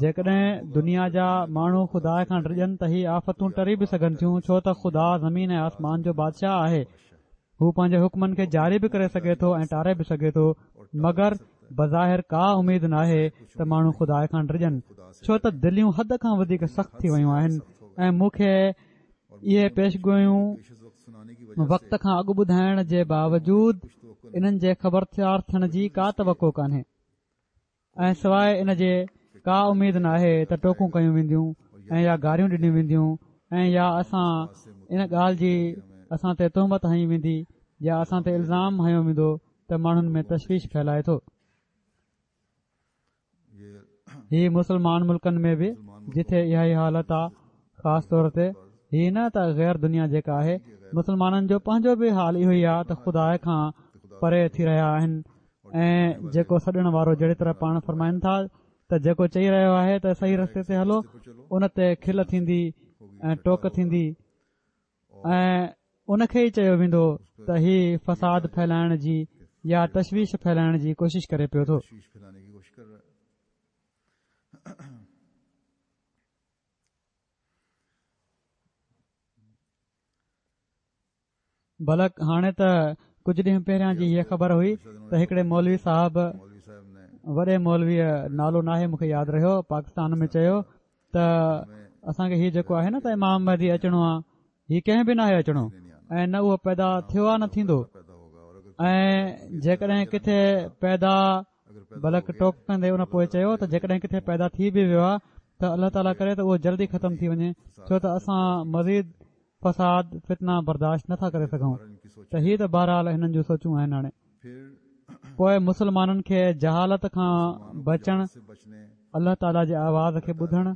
جيڪڏهن دنيا جا ماڻهو خدا کان ڊڄن ته هي آفتون ٽري به سگهن ٿيون ڇو ته خدا زمين ۽ آسمان جو بادشاهه آهي هو پنهنجي حڪمن کي جاري به ڪري سگهي ٿو ۽ ٽاري به سگهي ٿو مگر بظاهر ڪا اميد ناهي ته ماڻهو خدا کان ڊڄن ڇو ته دليون حد کان وڌيڪ سخت ٿي ويون آهن ۽ مون کي اهي پيشگويون وقت کان اڳ ٻڌائڻ جي باوجود انهن جي خبردار ٿيڻ جي ڪا توقع ڪانهي ۽ سواء ان جي ڪا اميد ناهي ته ٽوڪون ڪيون وينديون ۽ يا گاريون ڏنيون وينديون ۽ يا اسان ان ڳالهه جي اسان تي تهمت هنئي ويندي يا اسان تي الزام هنيو ويندو ته ماڻهن ۾ تشويش ڦهلائي ٿو. هي مسلمان ملڪن ۾ به جٿي اها ئي حالت آ خاص طور تي هي نه ته غير دنيا جيڪا آهي مسلمانن جو پنهنجو به حال اهو ئي آ ته خدا کان پري ٿي رهيا آهن ۽ جيڪو سڏڻ وارو جهڙي طرح پاڻ فرمائن ٿا ته جيڪو چئي رهيو آهي ته صحيح رستي تي هلو ان تي کل ٿيندي ۽ ٽوڪ ٿيندي ۽ ان کي ئي چيو ويندو ته هي فساد ڦهلائڻ جي يا تشويش ڦهلائڻ جي ڪوشش ڪري پيو ٿو. بلڪ هاڻي ته ڪجهه ڏينهن پهريان جي هيء خبر هئي ته هڪڙي مولوي صاحب وڏي مولويء نالو ناهي مون کي ياد رهيو پاڪستان ۾ چيو ته اسان کي هي جيڪو آهي نه ته امام مهدي اچڻو آ هي ڪنهن به ناهي اچڻو ۽ نه اهو پيدا ٿيو آ نه ٿيندو ۽ جيڪڏهن ڪٿي پيدا بلڪ ٽوڪ ڪندي ان پوء چيو ته جيڪڏهن ڪٿي پيدا ٿي به ويو آ ته الله تعاليٰ ڪري ته اهو جلدي ختم ٿي وڃي ڇو ته اسان مزيد فساد فتنا برداشت نٿا ڪري سگهون ته هي ته بهرحال هنن جون سوچون آهن هاڻي پوء مسلمانن کي جهالت کان بچڻ الله تعاليٰ جي آواز کي ٻڌڻ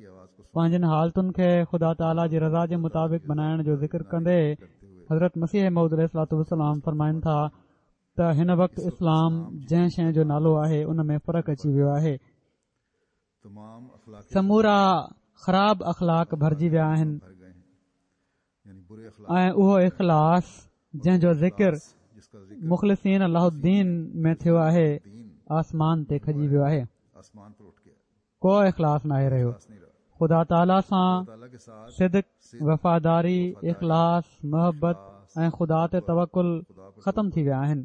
پنهنجن حالتن کي خدا تعاليٰ جي رضا جي مطابق بنائڻ جو ذڪر ڪندي حضرت مسيح موعود عليه الصلوٰة والسلام فرمائن ٿا ته هن وقت اسلام جنهن شيء جو نالو آهي ان ۾ فرق اچي ويو آهي سمورا خراب اخلاق ڀرجي ويا آهن ۽ اهو اخلاص جنهن جو ذڪر مخلصين له الدين ۾ ٿيو آهي آسمان تي کڄي ويو آهي ڪو اخلاص ناهي رهيو خدا تعاليٰ سان صدق وفاداري اخلاص محبت ۽ خدا تي توڪل ختم ٿي ويا آهن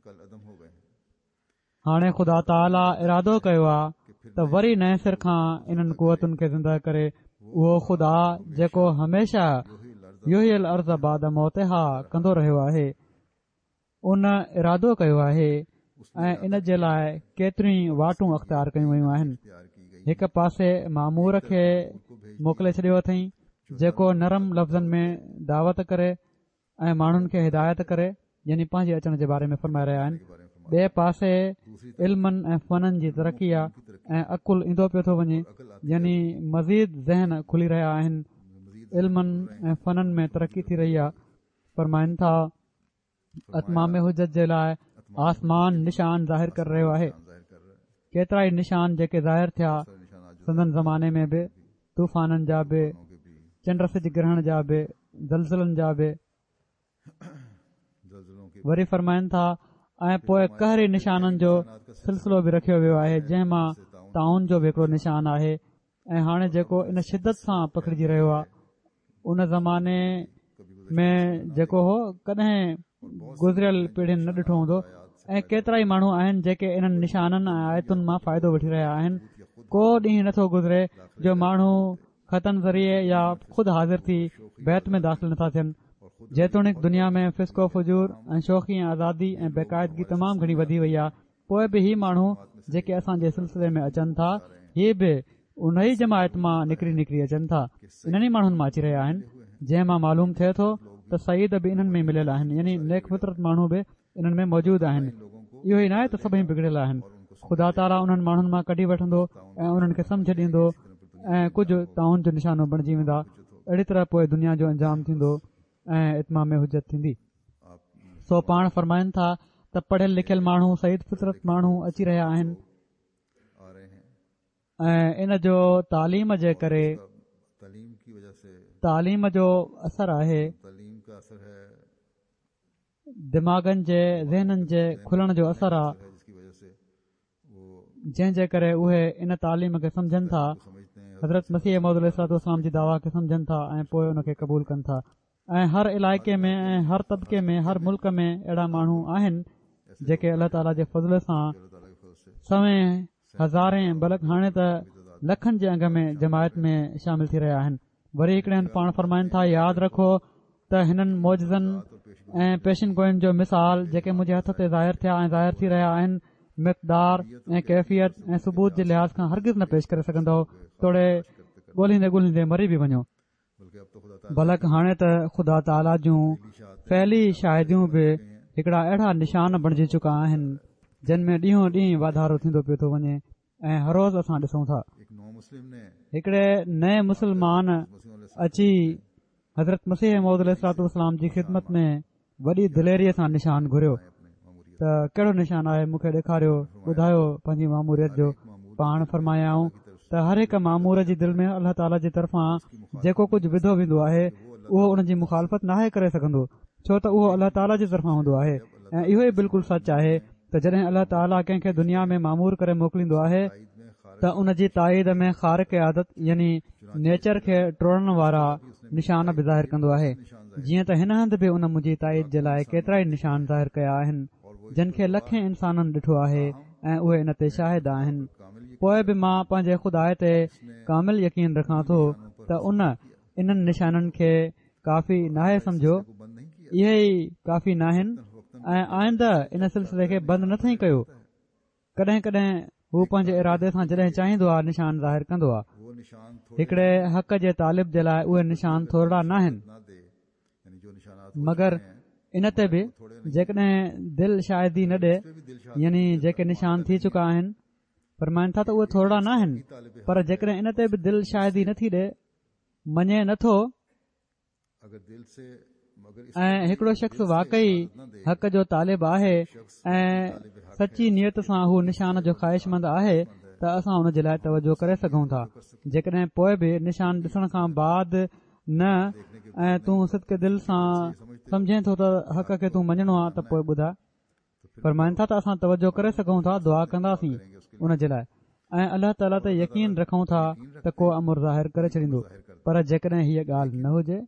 هاڻي خدا تعاليٰ ارادو ڪيو آهي ته وري نئين سر کان انهن قوتن کي زنده ڪري اهو خدا جيڪو هميشه يحيي الارض بعد موتها ڪندو رهيو آهي ان ارادو ڪيو آهي ۽ ان جي لاء ڪيتريون ئي واٽون اختيار ڪيون ويون آهن هڪ پاسي مامور کي موڪلي ڇڏيو اٿئين جيڪو نرم لفظن ۾ دعوت ڪري ۽ ماڻهن کي هدايت ڪري يعني پنهنجي اچڻ جي باري ۾ فرمائي رهيا آهن ٻئي پاسي علمن ۽ فنن جي ترقي آ ۽ عقل ايندو پيو ٿو وڃي يعني مزيد ذهن کلي رهيا آهن علمن ۽ فنن ۾ ترقي ٿي رهي آ فرمائن ٿا اتمام حجت جي لاء آسمان نشان ظاهر ڪري رهيو آهي ڪيترا ئي نشان جيڪي ظاهر ٿيا سندن زماني ۾ به طوفانن جا به، چنڊ سج گرهڻ جا به، زلزلن جا به. وري فرمائن ٿا ۽ پوء قهري نشانن جو سلسلو به رکيو ويو آهي جنهن مان طاعون جو به هڪڙو نشان آهي ۽ هاڻي جيڪو ان شدت سان پکڙجي رهيو آهي ان زماني ۾ جيڪو هو ڪڏهن گذريل پيڙهين نه ڏٺو هوندو ۽ ڪيترا ئي ماڻهو آهن جيڪي انهن نشانن ۽ آيتن مان فائدو وٺي رهيا آهن ڪو ڏينهن نٿو گذري جو ماڻهو خطن ذريعي يا خود حاضر ٿي بيعت ۾ داخل نٿا ٿين جيتوڻيڪ دنيا ۾ فسق و فجور ۽ شوخي ۽ آزادي ۽ بيقاعدگي تمام گهڻي وڌي وئي آهي پوء به هي ماڻهو جيڪي اسان جي سلسلي ۾ اچن ٿا هي به ان ئي جماعت مان نڪري نڪري اچن ٿا انهن ئي ماڻهن مان اچي رهيا آهن جنهن مان معلوم ٿئي ٿو ته سعيد به انهن ۾ مليل آهن يعني نيڪ فطرت ماڻهو به انهن ۾ موجود آهن اهو ئي ناهي ته سڀئي بگڙيل آهن خدا تعاليٰ انهن ماڻهن مان ڪڍي وٺندو ۽ انهن کي سمجه ڏيندو ۽ ڪجهه طاعون جو نشانو بڻجي ويندا اهڙي طرح پوء دنيا جو انجام ٿيندو ۽ اتمام حجت ٿيندي سو پاڻ فرمائن ٿا ته پڙهيل لکيل ماڻهو سعيد فطرت ماڻهو اچي رهيا آهن ۽ ان جو تعليم جي ڪري تعليم جو اثر آهي دماغن جي ذهنن جي کلڻ جو اثر آهي جنهن جي ڪري اهي ان تعليم کي سمجهن ٿا حضرت مسيح موعود عليه الصلوٰة والسلام جي دعويٰ کي سمجهن ٿا ۽ پوء ان کي قبول ڪن ٿا ۽ هر علائقي ۾ ۽ هر طبقي ۾ هر ملڪ ۾ اهڙا ماڻهو آهن جيڪي الله تعاليٰ جي فضل سان سوين هزارين بلڪ هاڻي ته لکن جي انگ ۾ جماعت ۾ شامل ٿي رهيا آهن وري هڪڙي هنڌ پاڻ فرمائن ٿا ياد رکو ته هنن معجزن ۽ پيشن گوئين جو مثال جيڪي منهنجي هٿ تي ظاهر ٿيا ۽ ظاهر ٿي رهيا آهن مقدار ۽ ڪيفيت ۽ ثبوت جي لحاظ کان هرگز نه پيش ڪري سگهندؤ توڙي ڳولهيندي ڳولهيندي مري به وڃو بلڪ هاڻي ته خدا تعاليٰ جون فعلي شاهديون به هڪڙا اهڙا نشان بڻجي چڪا آهن جن ۾ ڏينهون ڏينهن واڌارو ٿيندو پيو ٿو وڃي ۽ هر روز اسان ڏسون ٿا. هڪڙي نئين مسلمان اچي حضرت مسيح موعود عليه الصلوة والسلام جي خدمت ۾ وڏي دليريء سان نشان گهريو ته ڪهڙو نشان آهي مون کي ڏيکاريو ٻڌايو پنهنجي ماموريت جو پاڻ فرمايائون ته هر هڪ مامور جي دل ۾ الله تعاليٰ جي طرفان جيڪو ڪجهه وڌو ويندو آهي اهو ان جي مخالفت ناهي ڪري سگهندو ڇو ته اهو الله تعاليٰ جي طرفان هوندو آهي ۽ اهو ئي بلڪل سچ آهي ته جڏهن الله تعاليٰ ڪنهن کي دنيا ۾ مامور ڪري موڪليندو آهي ته ان جي تائيد ۾ خارق عادت يعني نيچر کي ٽوڙڻ وارا نشان به ظاهر ڪندو آهي جيئن ته هن هنڌ به ان منهنجي تائيد جي لاء ڪيترائي نشان ظاهر ڪيا آهن جن کي لکين انسانن ڏٺو آهي ۽ اهي ان تي شاهد آهن پوء به مان پنهنجي خدا تي ڪامل يقين رکان ٿو ته ان انهن نشانن کي ڪافي ناهي سمجهيو اهي ئي ڪافي ناهن ۽ آئنده ان سلسلي کي بند نه ٿئي ڪيو ڪڏهن ڪڏهن هو پنهنجي ارادي سان جڏهن چاهيندو آهي نشان ظاهر ڪندو آهي هڪڙي حق جي طالب جي لاء اهي نشان ٿورڙا ناهن مگر ان تي به جيڪڏهن دل شاهدي نه ڏي يعني جيڪي نشان ٿي چڪا آهن فرمائن ٿا ته اهي ٿورڙا ناهن پر جيڪڏهن ان تي به دل شاهدي نٿي ڏي مڃي نه ٿو ۽ هڪڙو شخص واقعي حق جو طالب آهي ۽ سچي نيت سان هو نشان جو خواهشمند آهي ته اسان ان جي لاء توجه ڪري سگهون ٿا جيڪڏهن پوء به نشان ڏسڻ کان بعد نه ۽ تون صدق دل سان سمجهين ٿو ته حق کي تون مڃڻو آ ته پوء ٻڌاء فرمائن ٿا ته اسان توجه ڪري سگهون ٿا دعا ڪنداسين ان جي لاء ۽ الله تعاليٰ تي يقين رکون ٿا ته ڪو امر ظاهر ڪري ڇڏيندو پر جيڪڏهن هيء ڳالهه نه هجي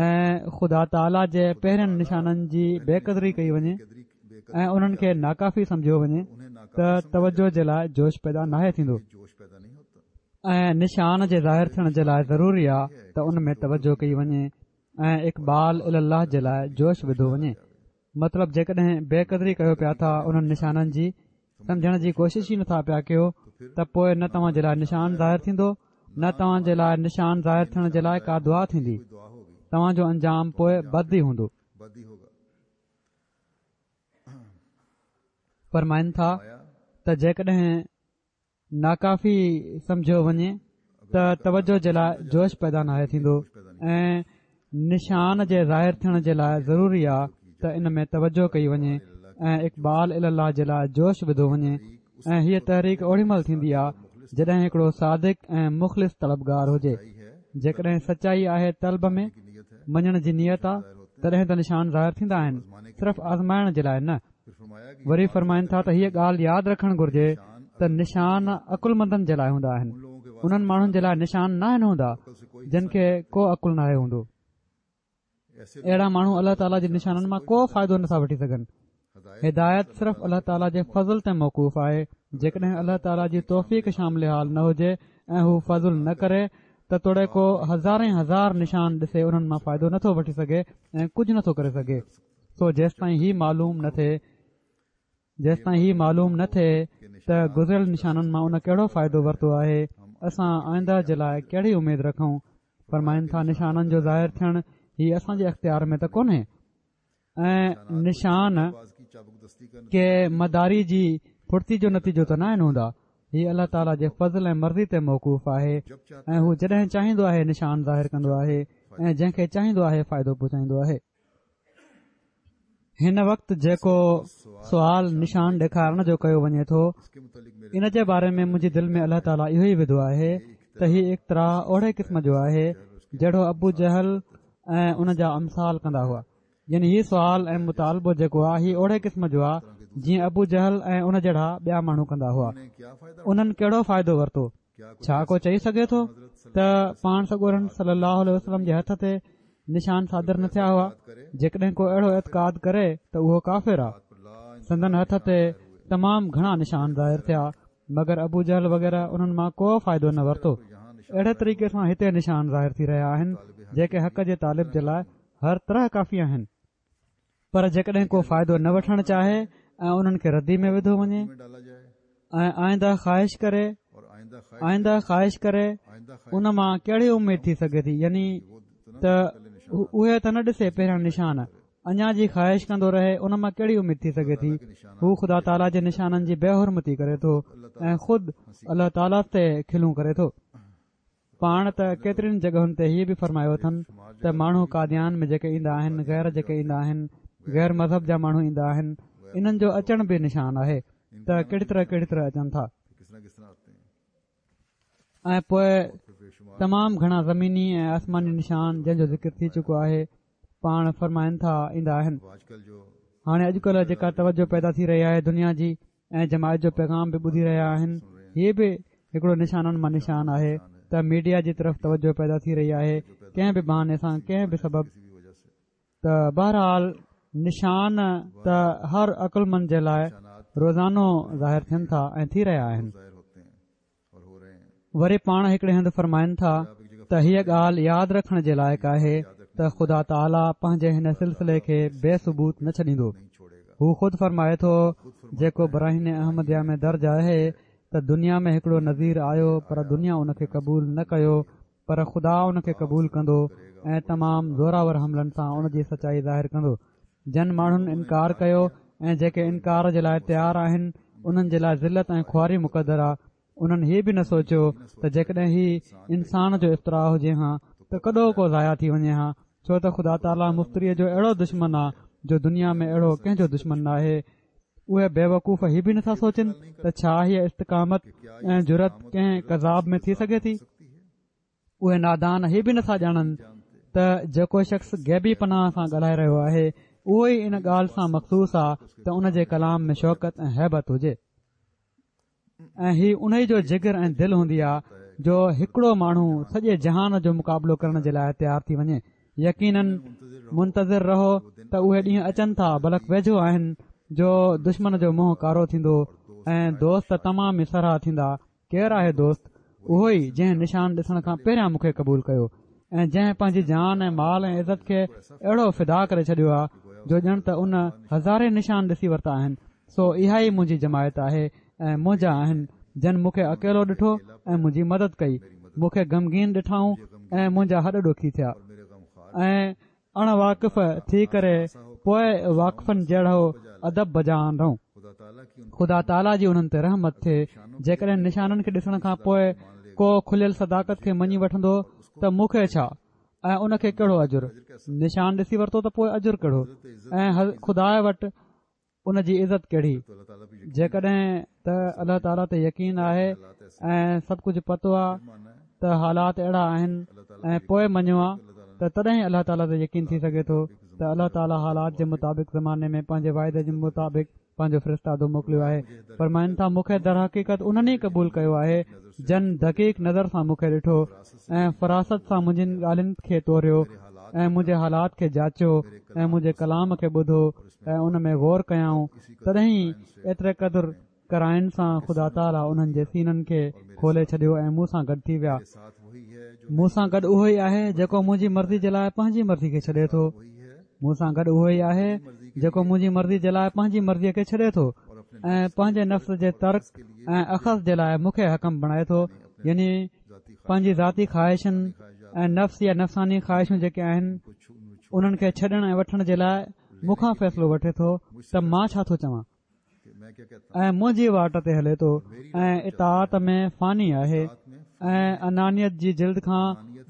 ۽ خدا تعاليٰ جي پهرين نشانن جي بي قدري ڪئي وڃي ۽ انهن کي ناڪافي سمجهيو وڃي ته توجه جي لاء جوش پيدا ناهي ٿيندو ۽ نشان جي ظاهر ٿيڻ جي لاء ضروري آهي ته ان ۾ توجه ڪئي وڃي ۽ اقبال الي الله جي لاء جوش وڌو وڃي مطلب جيڪڏهن بي قدري ڪيو پيا ٿا انهن نشانن جي سمجهڻ جي ڪوشش ئي نٿا پيا ڪيو ته پوء نه توهان جي لاء نشان ظاهر ٿيندو نه توهان جي لاء نشان ظاهر ٿيڻ جي لاء ڪا دعا ٿيندي توهان جو انجام پوء بد ئي هوندو فرمائن ٿا ته جيڪڏهن ناڪافي سمجهيو وڃي ته توجه جي لاء جوش پيدا ناهي ٿيندو ۽ نشان جي ظاهر ٿيڻ جي لاء ضروري آ ته ان ۾ توجه ڪئي وڃي ۽ اقبال الي الله جي لاء جوش وڌو وڃي ۽ هيء تحريڪ اوڏي مهل ٿيندي آ جڏهن هڪڙو صادق ۽ مخلص طلبگار هجي جيڪڏهن سچائي آهي طلب ۾ مڃڻ جي نيت آ تڏهن ته نشان ظاهر ٿيندا آهن صرف آزمائڻ جي لاء نه وري فرمائن ٿا ته هيء ڳالهه ياد رکڻ گهرجي ته نشان عقلمندن جي لاء هوندا آهن انهن ماڻهن جي لاء نشان ناهن هوندا جن کي ڪو عقل ناهي هوندو اهڙا ماڻهو الله تعاليٰ جي نشانن مان ڪو فائدو نٿا وٺي سگهن هدايت صرف الله تعاليٰ جي فضل تي موقوف آهي جيڪڏهن الله تعاليٰ جي توفيق شامل حال نه هجي ۽ هو فضل نه ڪري ته توڙي ڪو هزارين هزار نشان ڏسي انهن مان فائدو نٿو وٺي سگهي ۽ ڪجهه نٿو ڪري سگهي سو جيستائين هي معلوم نه ٿئي جيستائين هي معلوم نه ٿئي ته گذريل نشانن مان ان ڪهڙو فائدو ورتو آهي اسان آئنده جي لاء ڪهڙي اميد رکون فرمائن ٿا نشانن جو ظاهر ٿيڻ هي اسان جي اختيار ۾ ته ڪونهي ۽ نشان ڪي مداري جي ڦڙتي جو نتيجو ته ناهن هوندا هي الله تعاليٰ جي فضل ۽ مرضي تي موقوف آهي ۽ هو جڏهن چاهيندو آهي نشان ظاهر ڪندو آهي ۽ جنهن کي چاهيندو آهي فائدو پهچائيندو آهي هن وقت جيڪو سوال نشان ڏيکارڻ جو ڪيو وڃي ٿو ان جي باري ۾ منهنجي دل ۾ الله تعاليٰ اهو ئي وڌو آهي ته هي اقتراح اوڙي قسم جو آهي جهڙو ابو جهل ۽ ان جا امثال ڪندا هئا يعني هي سوال ۽ مطالبو جيڪو آهي هي اوڙي قسم جو آهي جيئن ابو جهل ۽ ان جهڙا ٻيا ماڻهو ڪندا هئا انهن ڪهڙو فائدو ورتو ڇا ڪو چئي سگهي ٿو ته پاڻ سڳورن صلي الله عليه وسلم جي هٿ تي نشان صادر نه ٿيا هئا جيڪڏهن ڪو اهڙو اعتقاد ڪري ته اهو ڪافر آ سندن هٿ تي تمام گهڻا نشان ظاهر ٿيا مگر ابو جهل وغيره انهن مان ڪو فائدو نه ورتو اهڙي طريقي سان هتي نشان ظاهر ٿي رهيا آهن جيڪي حق جي طالب جي لاء هر طرح ڪافي آهن. پر جيڪڏهن ڪو فائدو نه وٺڻ چاهي ۽ انهن کي ردي ۾ وڌو وڃي ۽ آئنده خواهش ڪري آئنده خواهش ڪري ان مان ڪهڙي اميد ٿي سگهي ٿي يعني ته اهي ته نه ڏسي پهريان نشان اڃا جي خواهش ڪندو رهي ان مان ڪهڙي اميد ٿي سگهي ٿي هو خدا تعاليٰ جي نشانن جي بي حرمتي ڪري ٿو ۽ خود الله تعاليٰ تي کلون ڪري ٿو پاڻ ته ڪيترين جڳهن تي هيء به فرمايو اٿن ته ماڻهو قاديان ۾ جيڪي ايندا آهن غير جيڪي ايندا آهن غير مذهب جا ماڻهو ايندا آهن انهن جو اچڻ به نشان آهي ته ڪهڙي طرح ڪهڙي طرح اچن ٿا ۽ پوء تمام گهڻا زميني ۽ آسماني نشان جنهن جو ذڪر ٿي چڪو آهي پاڻ فرمائن ٿا ايندا آهن هاڻي اڄڪلهه جيڪا توجه پيدا ٿي رهي آهي دنيا جي ۽ جماعت جو پيغام به ٻڌي رهيا آهن هي به هڪڙو نشانن مان نشان آهي ته ميڊيا جي طرف توجه پيدا ٿي رهي آهي ڪنهن به بهاني سان ڪنهن به سبب ته بهرحال نشان ته هر عقلمند جي لاء روزانو ظاهر ٿين ٿا ۽ ٿي رهيا آهن. وري پاڻ هڪڙي هنڌ فرمائن ٿا ته هيء ڳالهه ياد رکڻ جي لائق آهي ته خدا تعاليٰ پنهنجي هن سلسلي کي بي ثبوت نه ڇڏيندو. هو خود فرمائي ٿو، جيڪو براهين احمديه ۾ درج آهي ته دنيا ۾ هڪڙو نذير آيو پر دنيا ان کي قبول نه ڪيو پر خدا ان کي قبول ڪندو ۽ تمام زوراور حملن سان ان جي سچائي ظاهر ڪندو. جن ماڻهن انڪار ڪيو ۽ جيڪي انڪار جي لاء تيار آهن انهن جي لاء ذلت ۽ خواري مقدر آ انهن هي به نه سوچيو ته جيڪڏهن هي انسان جو افتراء هجي هان ته ڪڏهوڪو ضايع ٿي وڃي هان ڇو ته خدا تعاليٰ مفتريء جو اهڙو دشمن آ جو دنيا ۾ اهڙو ڪنهن جو دشمن ناهي اهي بيوقوف هي به نٿا سوچن ته ڇا هيء استقامت ۽ جرئت ڪنهن ڪذاب ۾ ٿي سگهي ٿي اهي نادان هي به نٿا ڄاڻن ته جيڪو شخص غيبي پناهه سان ڳالهائي رهيو آهي اهو ئي ان ڳالهه سان مخصوص آ ته ان جي ڪلام ۾ شوڪت ۽ هيبت هجي ۽ هي انهي جو جگر ۽ دل هوندي آ جو هڪڙو ماڻهو سڄي جهان جو مقابلو ڪرڻ جي لاء تيار ٿي وڃي يقيناً منتظر رهو ته اهي ڏينهن اچن ٿا بلڪ ويجهو آهن جو دشمن جو منهن ڪارو ٿيندو ۽ دوست تمام ئي سرها ٿيندا ڪير آهي دوست اهو ئي جنهن نشان ڏسڻ کان پهريان مون کي قبول ڪيو ۽ جنهن پنهنجي جان ۽ مال ۽ عزت کي اهڙو فدا ڪري ڇڏيو آهي جو ڄڻ ته ان هزارين نشان ڏسي ورتا آهن سو اها ئي منهنجي جماعت آهي ۽ منهنجا آهن جن مون کي اڪيلو ڏٺو ۽ منهنجي مدد ڪئي مون کي غمگين ڏٺائون ۽ منهنجا هڏ ڏوکي ٿيا ۽ اڻ واقف ٿي ڪري پوء واقفن جهڙو ادب بجا آندائون. خدا تعاليٰ جي انهن تي رحمت ٿئي، جيڪڏهن نشانن کي ڏسڻ کان پوء ڪو کليل صداقت کي مڃي وٺندو ته مون کي ڇا ۽ ان کي ڪهڙو اجر؟ نشان ڏسي ورتو ته پوء اجر ڪهڙو ۽ خدا وٽ ان جي عزت ڪهڙي؟ جيڪڏهن ته الله تعاليٰ تي يقين آهي ۽ سڀ ڪجهه پتو آهي ته حالات اهڙا آهن ۽ پوء مڃيو آ ته تڏهن الله تعاليٰ تي يقين ٿي سگهي ٿو ته الله تعاليٰ حالات جي مطابق زماني ۾ پنهنجي واعدي جي مطابق پنهنجو فرستادو موڪليو آهي فرمائن ٿا مون کي درحقيقت انهن ئي قبول ڪيو آهي جن دقيق نظر سان مون کي ڏٺو ۽ فراست سان منهنجين ڳالهين کي توريو ۽ منهنجي حالات کي جاچيو ۽ منهنجي ڪلام کي ٻڌو ۽ ان ۾ غور ڪيائون تڏهن ئي ايتري قدر قرائن سان خدا تعاليٰ انهن جي سينن کي کولي ڇڏيو ۽ مون سان گڏ ٿي ويا. مون سان گڏ اهو ئي آهي جيڪو منهنجي مرضي جي لاء پنهنجي مرضي کي ڇڏي ٿو. مون سان گڏ اهو ئي آهي جيڪو منهنجي مرضي جي لاء پنهنجي مرضيء کي ڇڏي ٿو ۽ پنهنجي نفس جي ترڪ ۽ اخذ جي لاء مون کي حڪم بڻائي ٿو يعني پنهنجي ذاتي خواهشن ۽ نفس يا نفساني خواهشون جيڪي آهن انهن کي ڇڏڻ ۽ وٺڻ جي لاء مون کان فيصلو وٺي ٿو ته مان ڇا ٿو چوان ۽ منهنجي واٽ تي هلي ٿو ۽ اطاعت ۾ فاني آهي ۽ انانيت جي جلد کان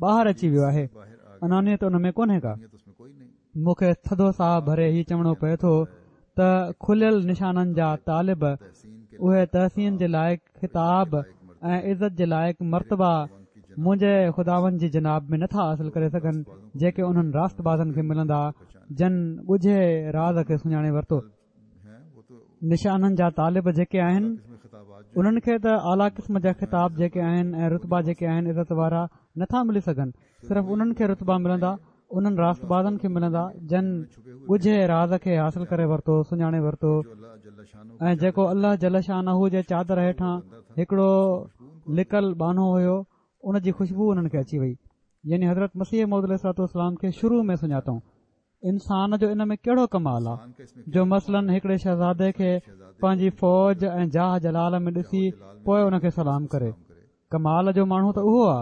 ٻاهر اچي ويو آهي انانيت ان ۾ ڪونهي ڪا مون کي ٿڌو ساهه ڀري هي چوڻو پئي ٿو ته کليل نشانن جا طالب اهي تحسين جي لائق خطاب ۽ عزت جي لائق مرتبا منهنجي خداوند جي جناب ۾ نٿا حاصل ڪري سگهن جيڪي انهن راست بازن کي ملندا جن ڳجهي راز کي سڃاڻي ورتو. نشانن جا طالب جيڪي آهن انهن کي ته اعليٰ قسم جا خطاب جيڪي آهن ۽ رتبا جيڪي آهن عزت وارا نٿا ملي سگهن صرف انهن کي رتبا ملندا انهن راست بازن کي ملندا جن ڳجهي راز کي حاصل ڪري ورتو سڃاڻي ورتو ۽ جيڪو الله جل شانه جي چادر هيٺان هڪڙو لڪل ٻانهو هيو ان جي خوشبو انهن کي اچي وئي يعني حضرت مسيح موعود عليه الصلوة والسلام کي شروع ۾ سڃاتائون. انسان جو ان ۾ ڪهڙو ڪمال آ جو مثلاً هڪڙي شهزادي کي پنهنجي فوج ۽ جاه جلال ۾ ڏسي پوء ان کي سلام ڪري. ڪمال جو ماڻهو ته اهو آ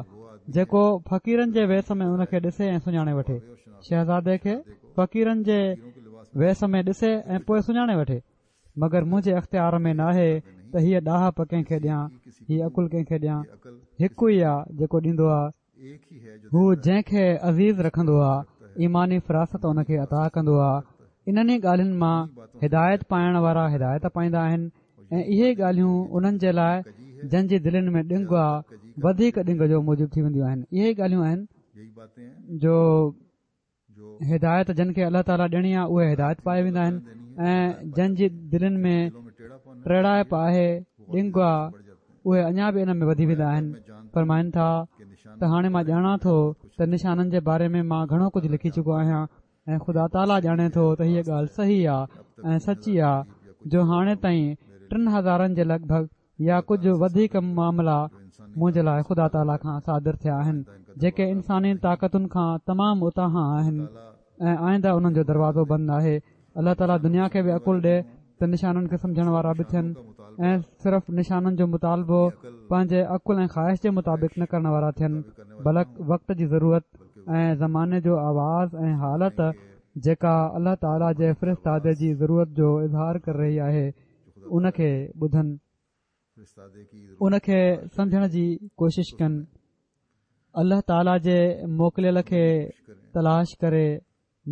جيڪو فقيرن جي ويس ۾ ان کي ڏسي ۽ سڃاڻي وٺي. شهزادي کي فقيرن جي ويس ۾ ڏسي ۽ پوء سڃاڻي وٺي. مگر منهنجي اختيار ۾ ناهي ته هيء ڏاهپ ڪنهن کي ڏيان، هي عقل ڪنهن کي ڏيان. هڪ ئي آ جيڪو ڏيندو آ. هو جنهن کي عزيز رکندو آ ايماني فراست ان کي عطا ڪندو آ انهن ئي ڳالهين مان هدايت پائڻ وارا هدايت پائيندا آهن ۽ اهي ئي ڳالهيون انهن جي لاء جن جي دلين ۾ ڏنگ آ وڌيڪ ڏنگ جو موجب ٿي وينديون آهن اهي ئي ڳالهيون آهن جو هدايت جن کي الله تعاليٰ ڏيڻي آهي اهي هدايت پائي ويندا آهن ۽ جن جي دلين ۾ ٽيڙائپ آهي ڏنگ آ اهي اڃا به ان ۾ وڌي ويندا آهن فرمائن ٿا ته هاڻي مان ڄاڻان ٿو ته نشانن جي باري ۾ مان گهڻو ڪجهه لکي چڪو آهيان ۽ خدا تعاليٰ ڄاڻي ٿو ته هيء ڳالهه صحيح آ ۽ سچي آ جو هاڻي تائين 3000 جي لڳ ڀڳ يا ڪجهه وڌيڪ معاملا منهنجي لاء خدا تعاليٰ کان صادر ٿيا آهن جيڪي انساني طاقتن کان تمام اتاهان آهن ۽ آئنده انهن جو دروازو بند ناهي الله تعاليٰ دنيا کي به عقل ڏي ته نشانن کي سمجهڻ وارا به ٿين ۽ صرف نشانن جو مطالبو پنهنجي عقل ۽ خواهش جي مطابق نه ڪرڻ وارا ٿين بلڪ وقت جي ضرورت ۽ زماني جو آواز ۽ حالت جيڪا الله تعاليٰ جي فرستادي جي ضرورت جو اظهار ڪري رهي آهي ان کي ٻڌن، ان کي سمجهڻ جي ڪوشش ڪن، الله تعاليٰ جي موڪليل کي تلاش ڪري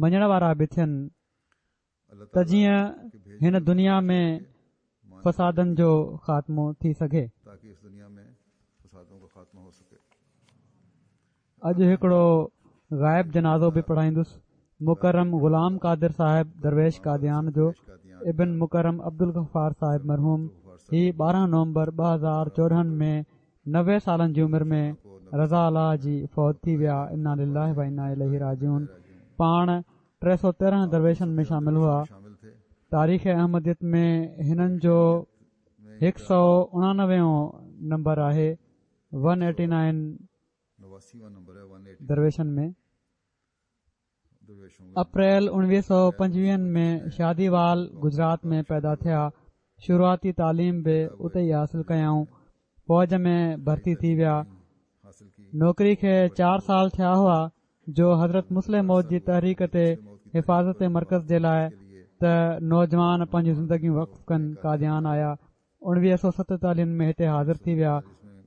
مڃڻ وارا به ٿين ته جيئن هن دنيا ۾ فسادن جو خاتمو ٿي سگهي. اڄ هڪڙو غائب جنازو به پڙهائيندس مڪرم غلام قادر صاحب درويش قاديان جو ابن مڪرم عبدالغفار صاحب مرحوم هي 12 نومبر 2014 ۾ 90 سالن جي عمر ۾ رضا الله جي فوت ٿي ويا انا لله و انا اليه راجعون پاڻ 313 درويشن ۾ شامل هئا تاريخ احمديت ۾ هنن جو 199 نمبر آهي 189 درويشن ۾. اپريل 1925 ۾ شادي وال گجرات ۾ پيدا ٿيا. شروعاتي تعليم به اتي ئي حاصل ڪيائون. فوج ۾ ڀرتي ٿي ويا. نوڪري کي چار سال ٿيا هئا جو حضرت مصلح موعود جي تحريڪ تي حفاظت مرڪز جي لاء ته نوجوان پنهنجون زندگيون وقف ڪن قاديان آيا. 1947 ۾ هتي حاضر ٿي ويا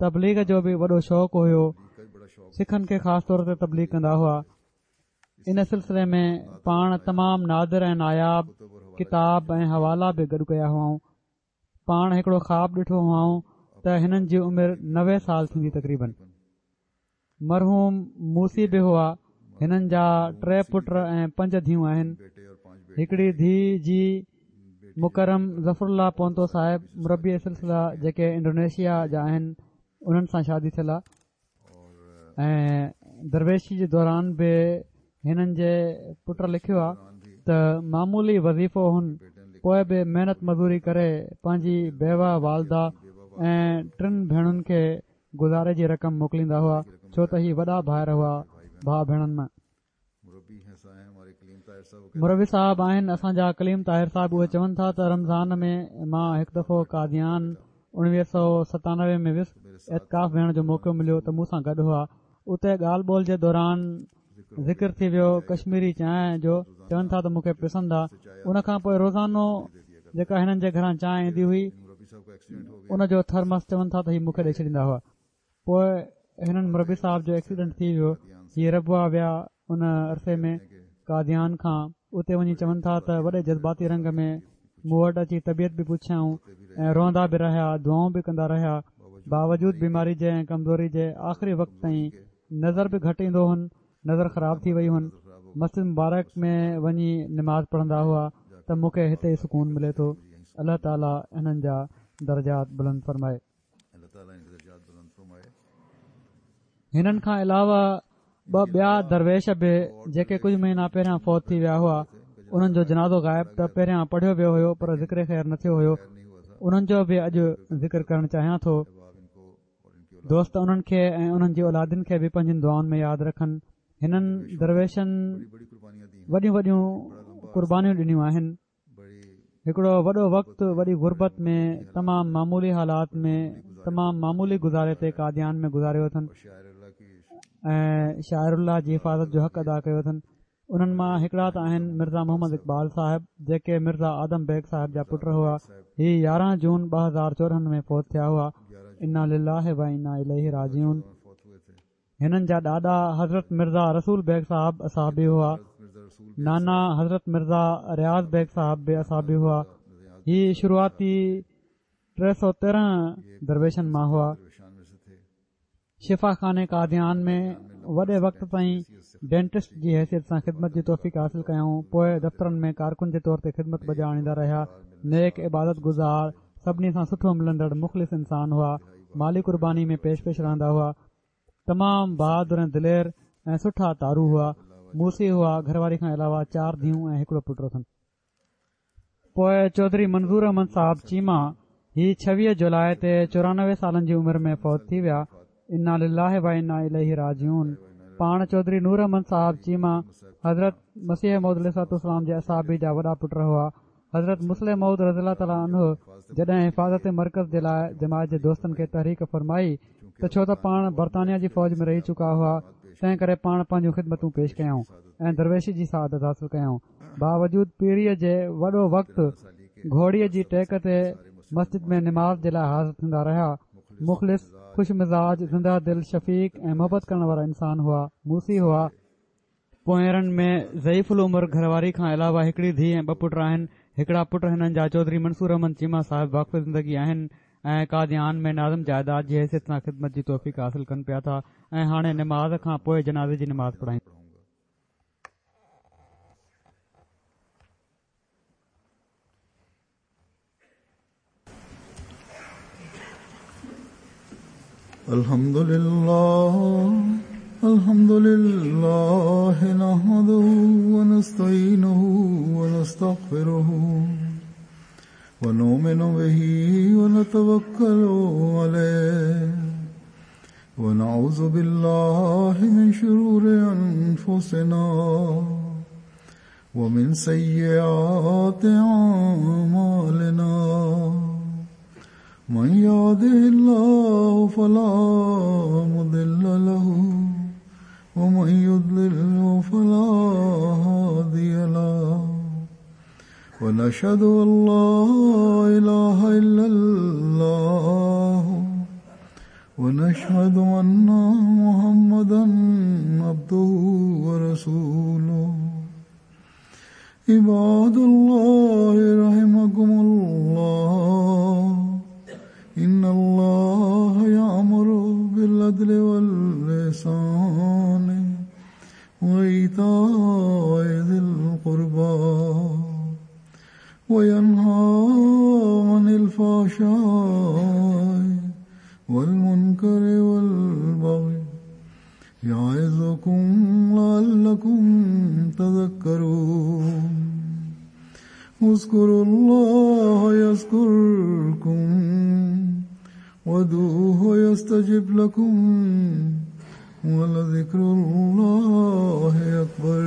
تبليغ جو به وڏو شوق هيو سکن کي خاص طور تي تبليغ ڪندا هئا ان سلسلي ۾ پاڻ تمام نادر ۽ ناياب ڪتاب ۽ حوالا به گڏ ڪيا هئائون پاڻ هڪڙو خواب ڏٺو هئائون ته هنن جي عمر 90 سال ٿيندي تقريبن مرحوم موصي به هئا. هنن جا ٽي پٽ ۽ پنج ڌيئون آهن. هڪڙي ڌيء جي مڪرم ظفر الله پونتو صاحب مربي سلسله جيڪي انڊونيشيا جا آهن انهن سان شادي ٿيل آهي ۽ درويشي جي دوران به هنن جي پٽ لکيو آ ته معمولي وظيفو هن پوء به محنت مزوري ڪري پنهنجي بيوه والده ۽ ٽن ڀيڻن کي گذاري جي رقم موڪليندا هئا ڇو ته هي وڏا ڀائر هئا ڀاء ڀيڻن ۾. مربي صاحب آهن اسان جا ڪليم طاهر صاحب اهي چون ٿا ته رمضان ۾ مان هڪ دفعو قاديان 1997 ۾ ويس اعتڪاف ويهڻ جو موقعو مليو ته مون سان گڏ هئا اتي ڳالهه ٻولهه جي دوران ذڪر ٿي ويو ڪشميري چانهه جو چون ٿا ته مون کي پسند آ ان کان پوء روزانو جيڪا هنن جي گهران چانهه ايندي هئي ان جو ٿرمس چون ٿا ته هي مون کي ڏئي ڇڏيندا هئا پوء هنن مربي صاحب جو ايڪسيڊنٽ ٿي ويو هي ربوه ويا ان عرصي ۾ قاديان کان اتي وڃي چون ٿا ته وڏي جذباتي رنگ ۾ مون وٽ اچي طبيعت به پڇيائون ۽ روئندا به رهيا دعائون به ڪندا رهيا باوجود بيماري جي ۽ ڪمزوري جي آخري وقت تائين نظر به گهٽ ايندو هن نظر خراب ٿي وئي هن مسجد مبارڪ ۾ وڃي نماز پڙهندا هئا ته مون کي هتي ئي سڪون ملي ٿو الله تعالي هنن جا درجات بلند فرمائي. هنن کان علاوه ٻه ٻيا درويش به جيڪي ڪجهه مهينا پهريان فوت ٿي ويا هئا انهن جو جنازو غائب ته پهريان پڙهيو ويو هيو پر ذڪر خير نه ٿيو هيو انهن جو به اڄ ذڪر ڪرڻ چاهيان ٿو. دوست انهن کي ۽ انهن جي اولادن کي به پنهنجين دعائن ۾ ياد رکن. هنن درويشن وڏيون وڏيون قربانيون ڏنيون آهن. هڪڙو وڏو وقت وڏي غربت ۾ تمام معمولي حالات ۾ تمام معمولي گذاري تي قاديان ۾ گذاريو اٿن ۽ شعائر الله جي حفاظت جو حق ادا ڪيو اٿن. انهن مان هڪڙا ته آهن مرزا محمد اقبال صاحب جيڪي مرزا آدم بيگ صاحب جا پٽ هئا. هي 11 جون 2014 ۾ فوت ٿيا هئا. انا لله و انا اليه راجعون. هنن جا ڏاڏا حضرت مرزا رسول بيگ صاحب اصحابي هئا. نانا حضرت مرزا رياض بيگ صاحب به اصحابي هئا. هي شروعاتي 313 درويشن مان هئا. شفا خاني قاديان ۾ وڏي وقت تائين ڊينٽسٽ جي حيثيت سان خدمت جي توفيق حاصل ڪيائون. پوء دفترن ۾ ڪارڪن جي طور تي خدمت بجا آڻيندا رهيا. نيڪ عبادت گذار، سڀني سان سٺو ملندڙ مخلص انسان هئا. مالي قرباني ۾ پيش پيش رهندا هئا. تمام بهادر ۽ دلير ۽ سٺا تارو هئا. موصي هئا، گهر واري کان علاوه چار ڌيئون ۽ هڪڙو پٽ اٿن. پوء چوڌري منظور احمد صاحب چيما هي 26 جولاء تي 94 سالن جي عمر ۾ فوت ٿي ويا. انا لله و انا اليه راجعون. پاڻ چوڌري نور احمد صاحب چيما حضرت مسيح موعود عليه الصلوة والسلام جي اصحابي جا وڏا پٽ هئا. حضرت مصلح موعود رضي الله تعالٰي عنه جڏهن حفاظت مرڪز جي لاء جماعت جي دوستن کي تحريڪ فرمائي ته ڇو ته پاڻ برطانيا جي فوج ۾ رهي چڪا هئا تنهن ڪري پاڻ پنهنجون خدمتون پيش ڪيائون ۽ درويشي جي سعادت حاصل ڪيائون باوجود پيريء جي وڏو وقت گهوڙي جي ٽيڪ تي مسجد ۾ نماز جي لاء حاضر ٿيندا رهيا مخلص خوش مزاج زنده دل شفيق ۽ محبت ڪرڻ وارا انسان هئا موصي هئا پونئيرن ۾ ضعيف العمر گهر واري کان علاوه هڪڙي ڌيء ۽ ٻه پٽ آهن. هڪڙا پٽ هنن جا چوڌري منصور احمد چيما صاحب واقف زندگي آهن ۽ قاديان ۾ ناظم جائداد جي حيثيت سان خدمت جي توفيق حاصل ڪن پيا ٿا ۽ هاڻي نماز کان پوء جنازي جي نماز پڙهائيندا. الحمد لله الحمد لله نحمده ونستعينه ونستغفره ونؤمن به ونتوكل عليه ونعوذ بالله من شرور أنفسنا ومن سيئات أعمالنا من يهده الله فلا مضل له ومن يضلل فلا هادي له ونشهد أن لا إله إلا الله ونشهد أن محمدا عبده ورسوله عباد الله رحمكم الله إن الله يأمر بالعدل واللسان وإيتاء ذي القربى وينهى عن الفحشاء والمنكر والبغي يعظكم لعلكم تذكرون اذكروا الله يذكركم وادعوه يستجب لكم ولذكر الله أكبر.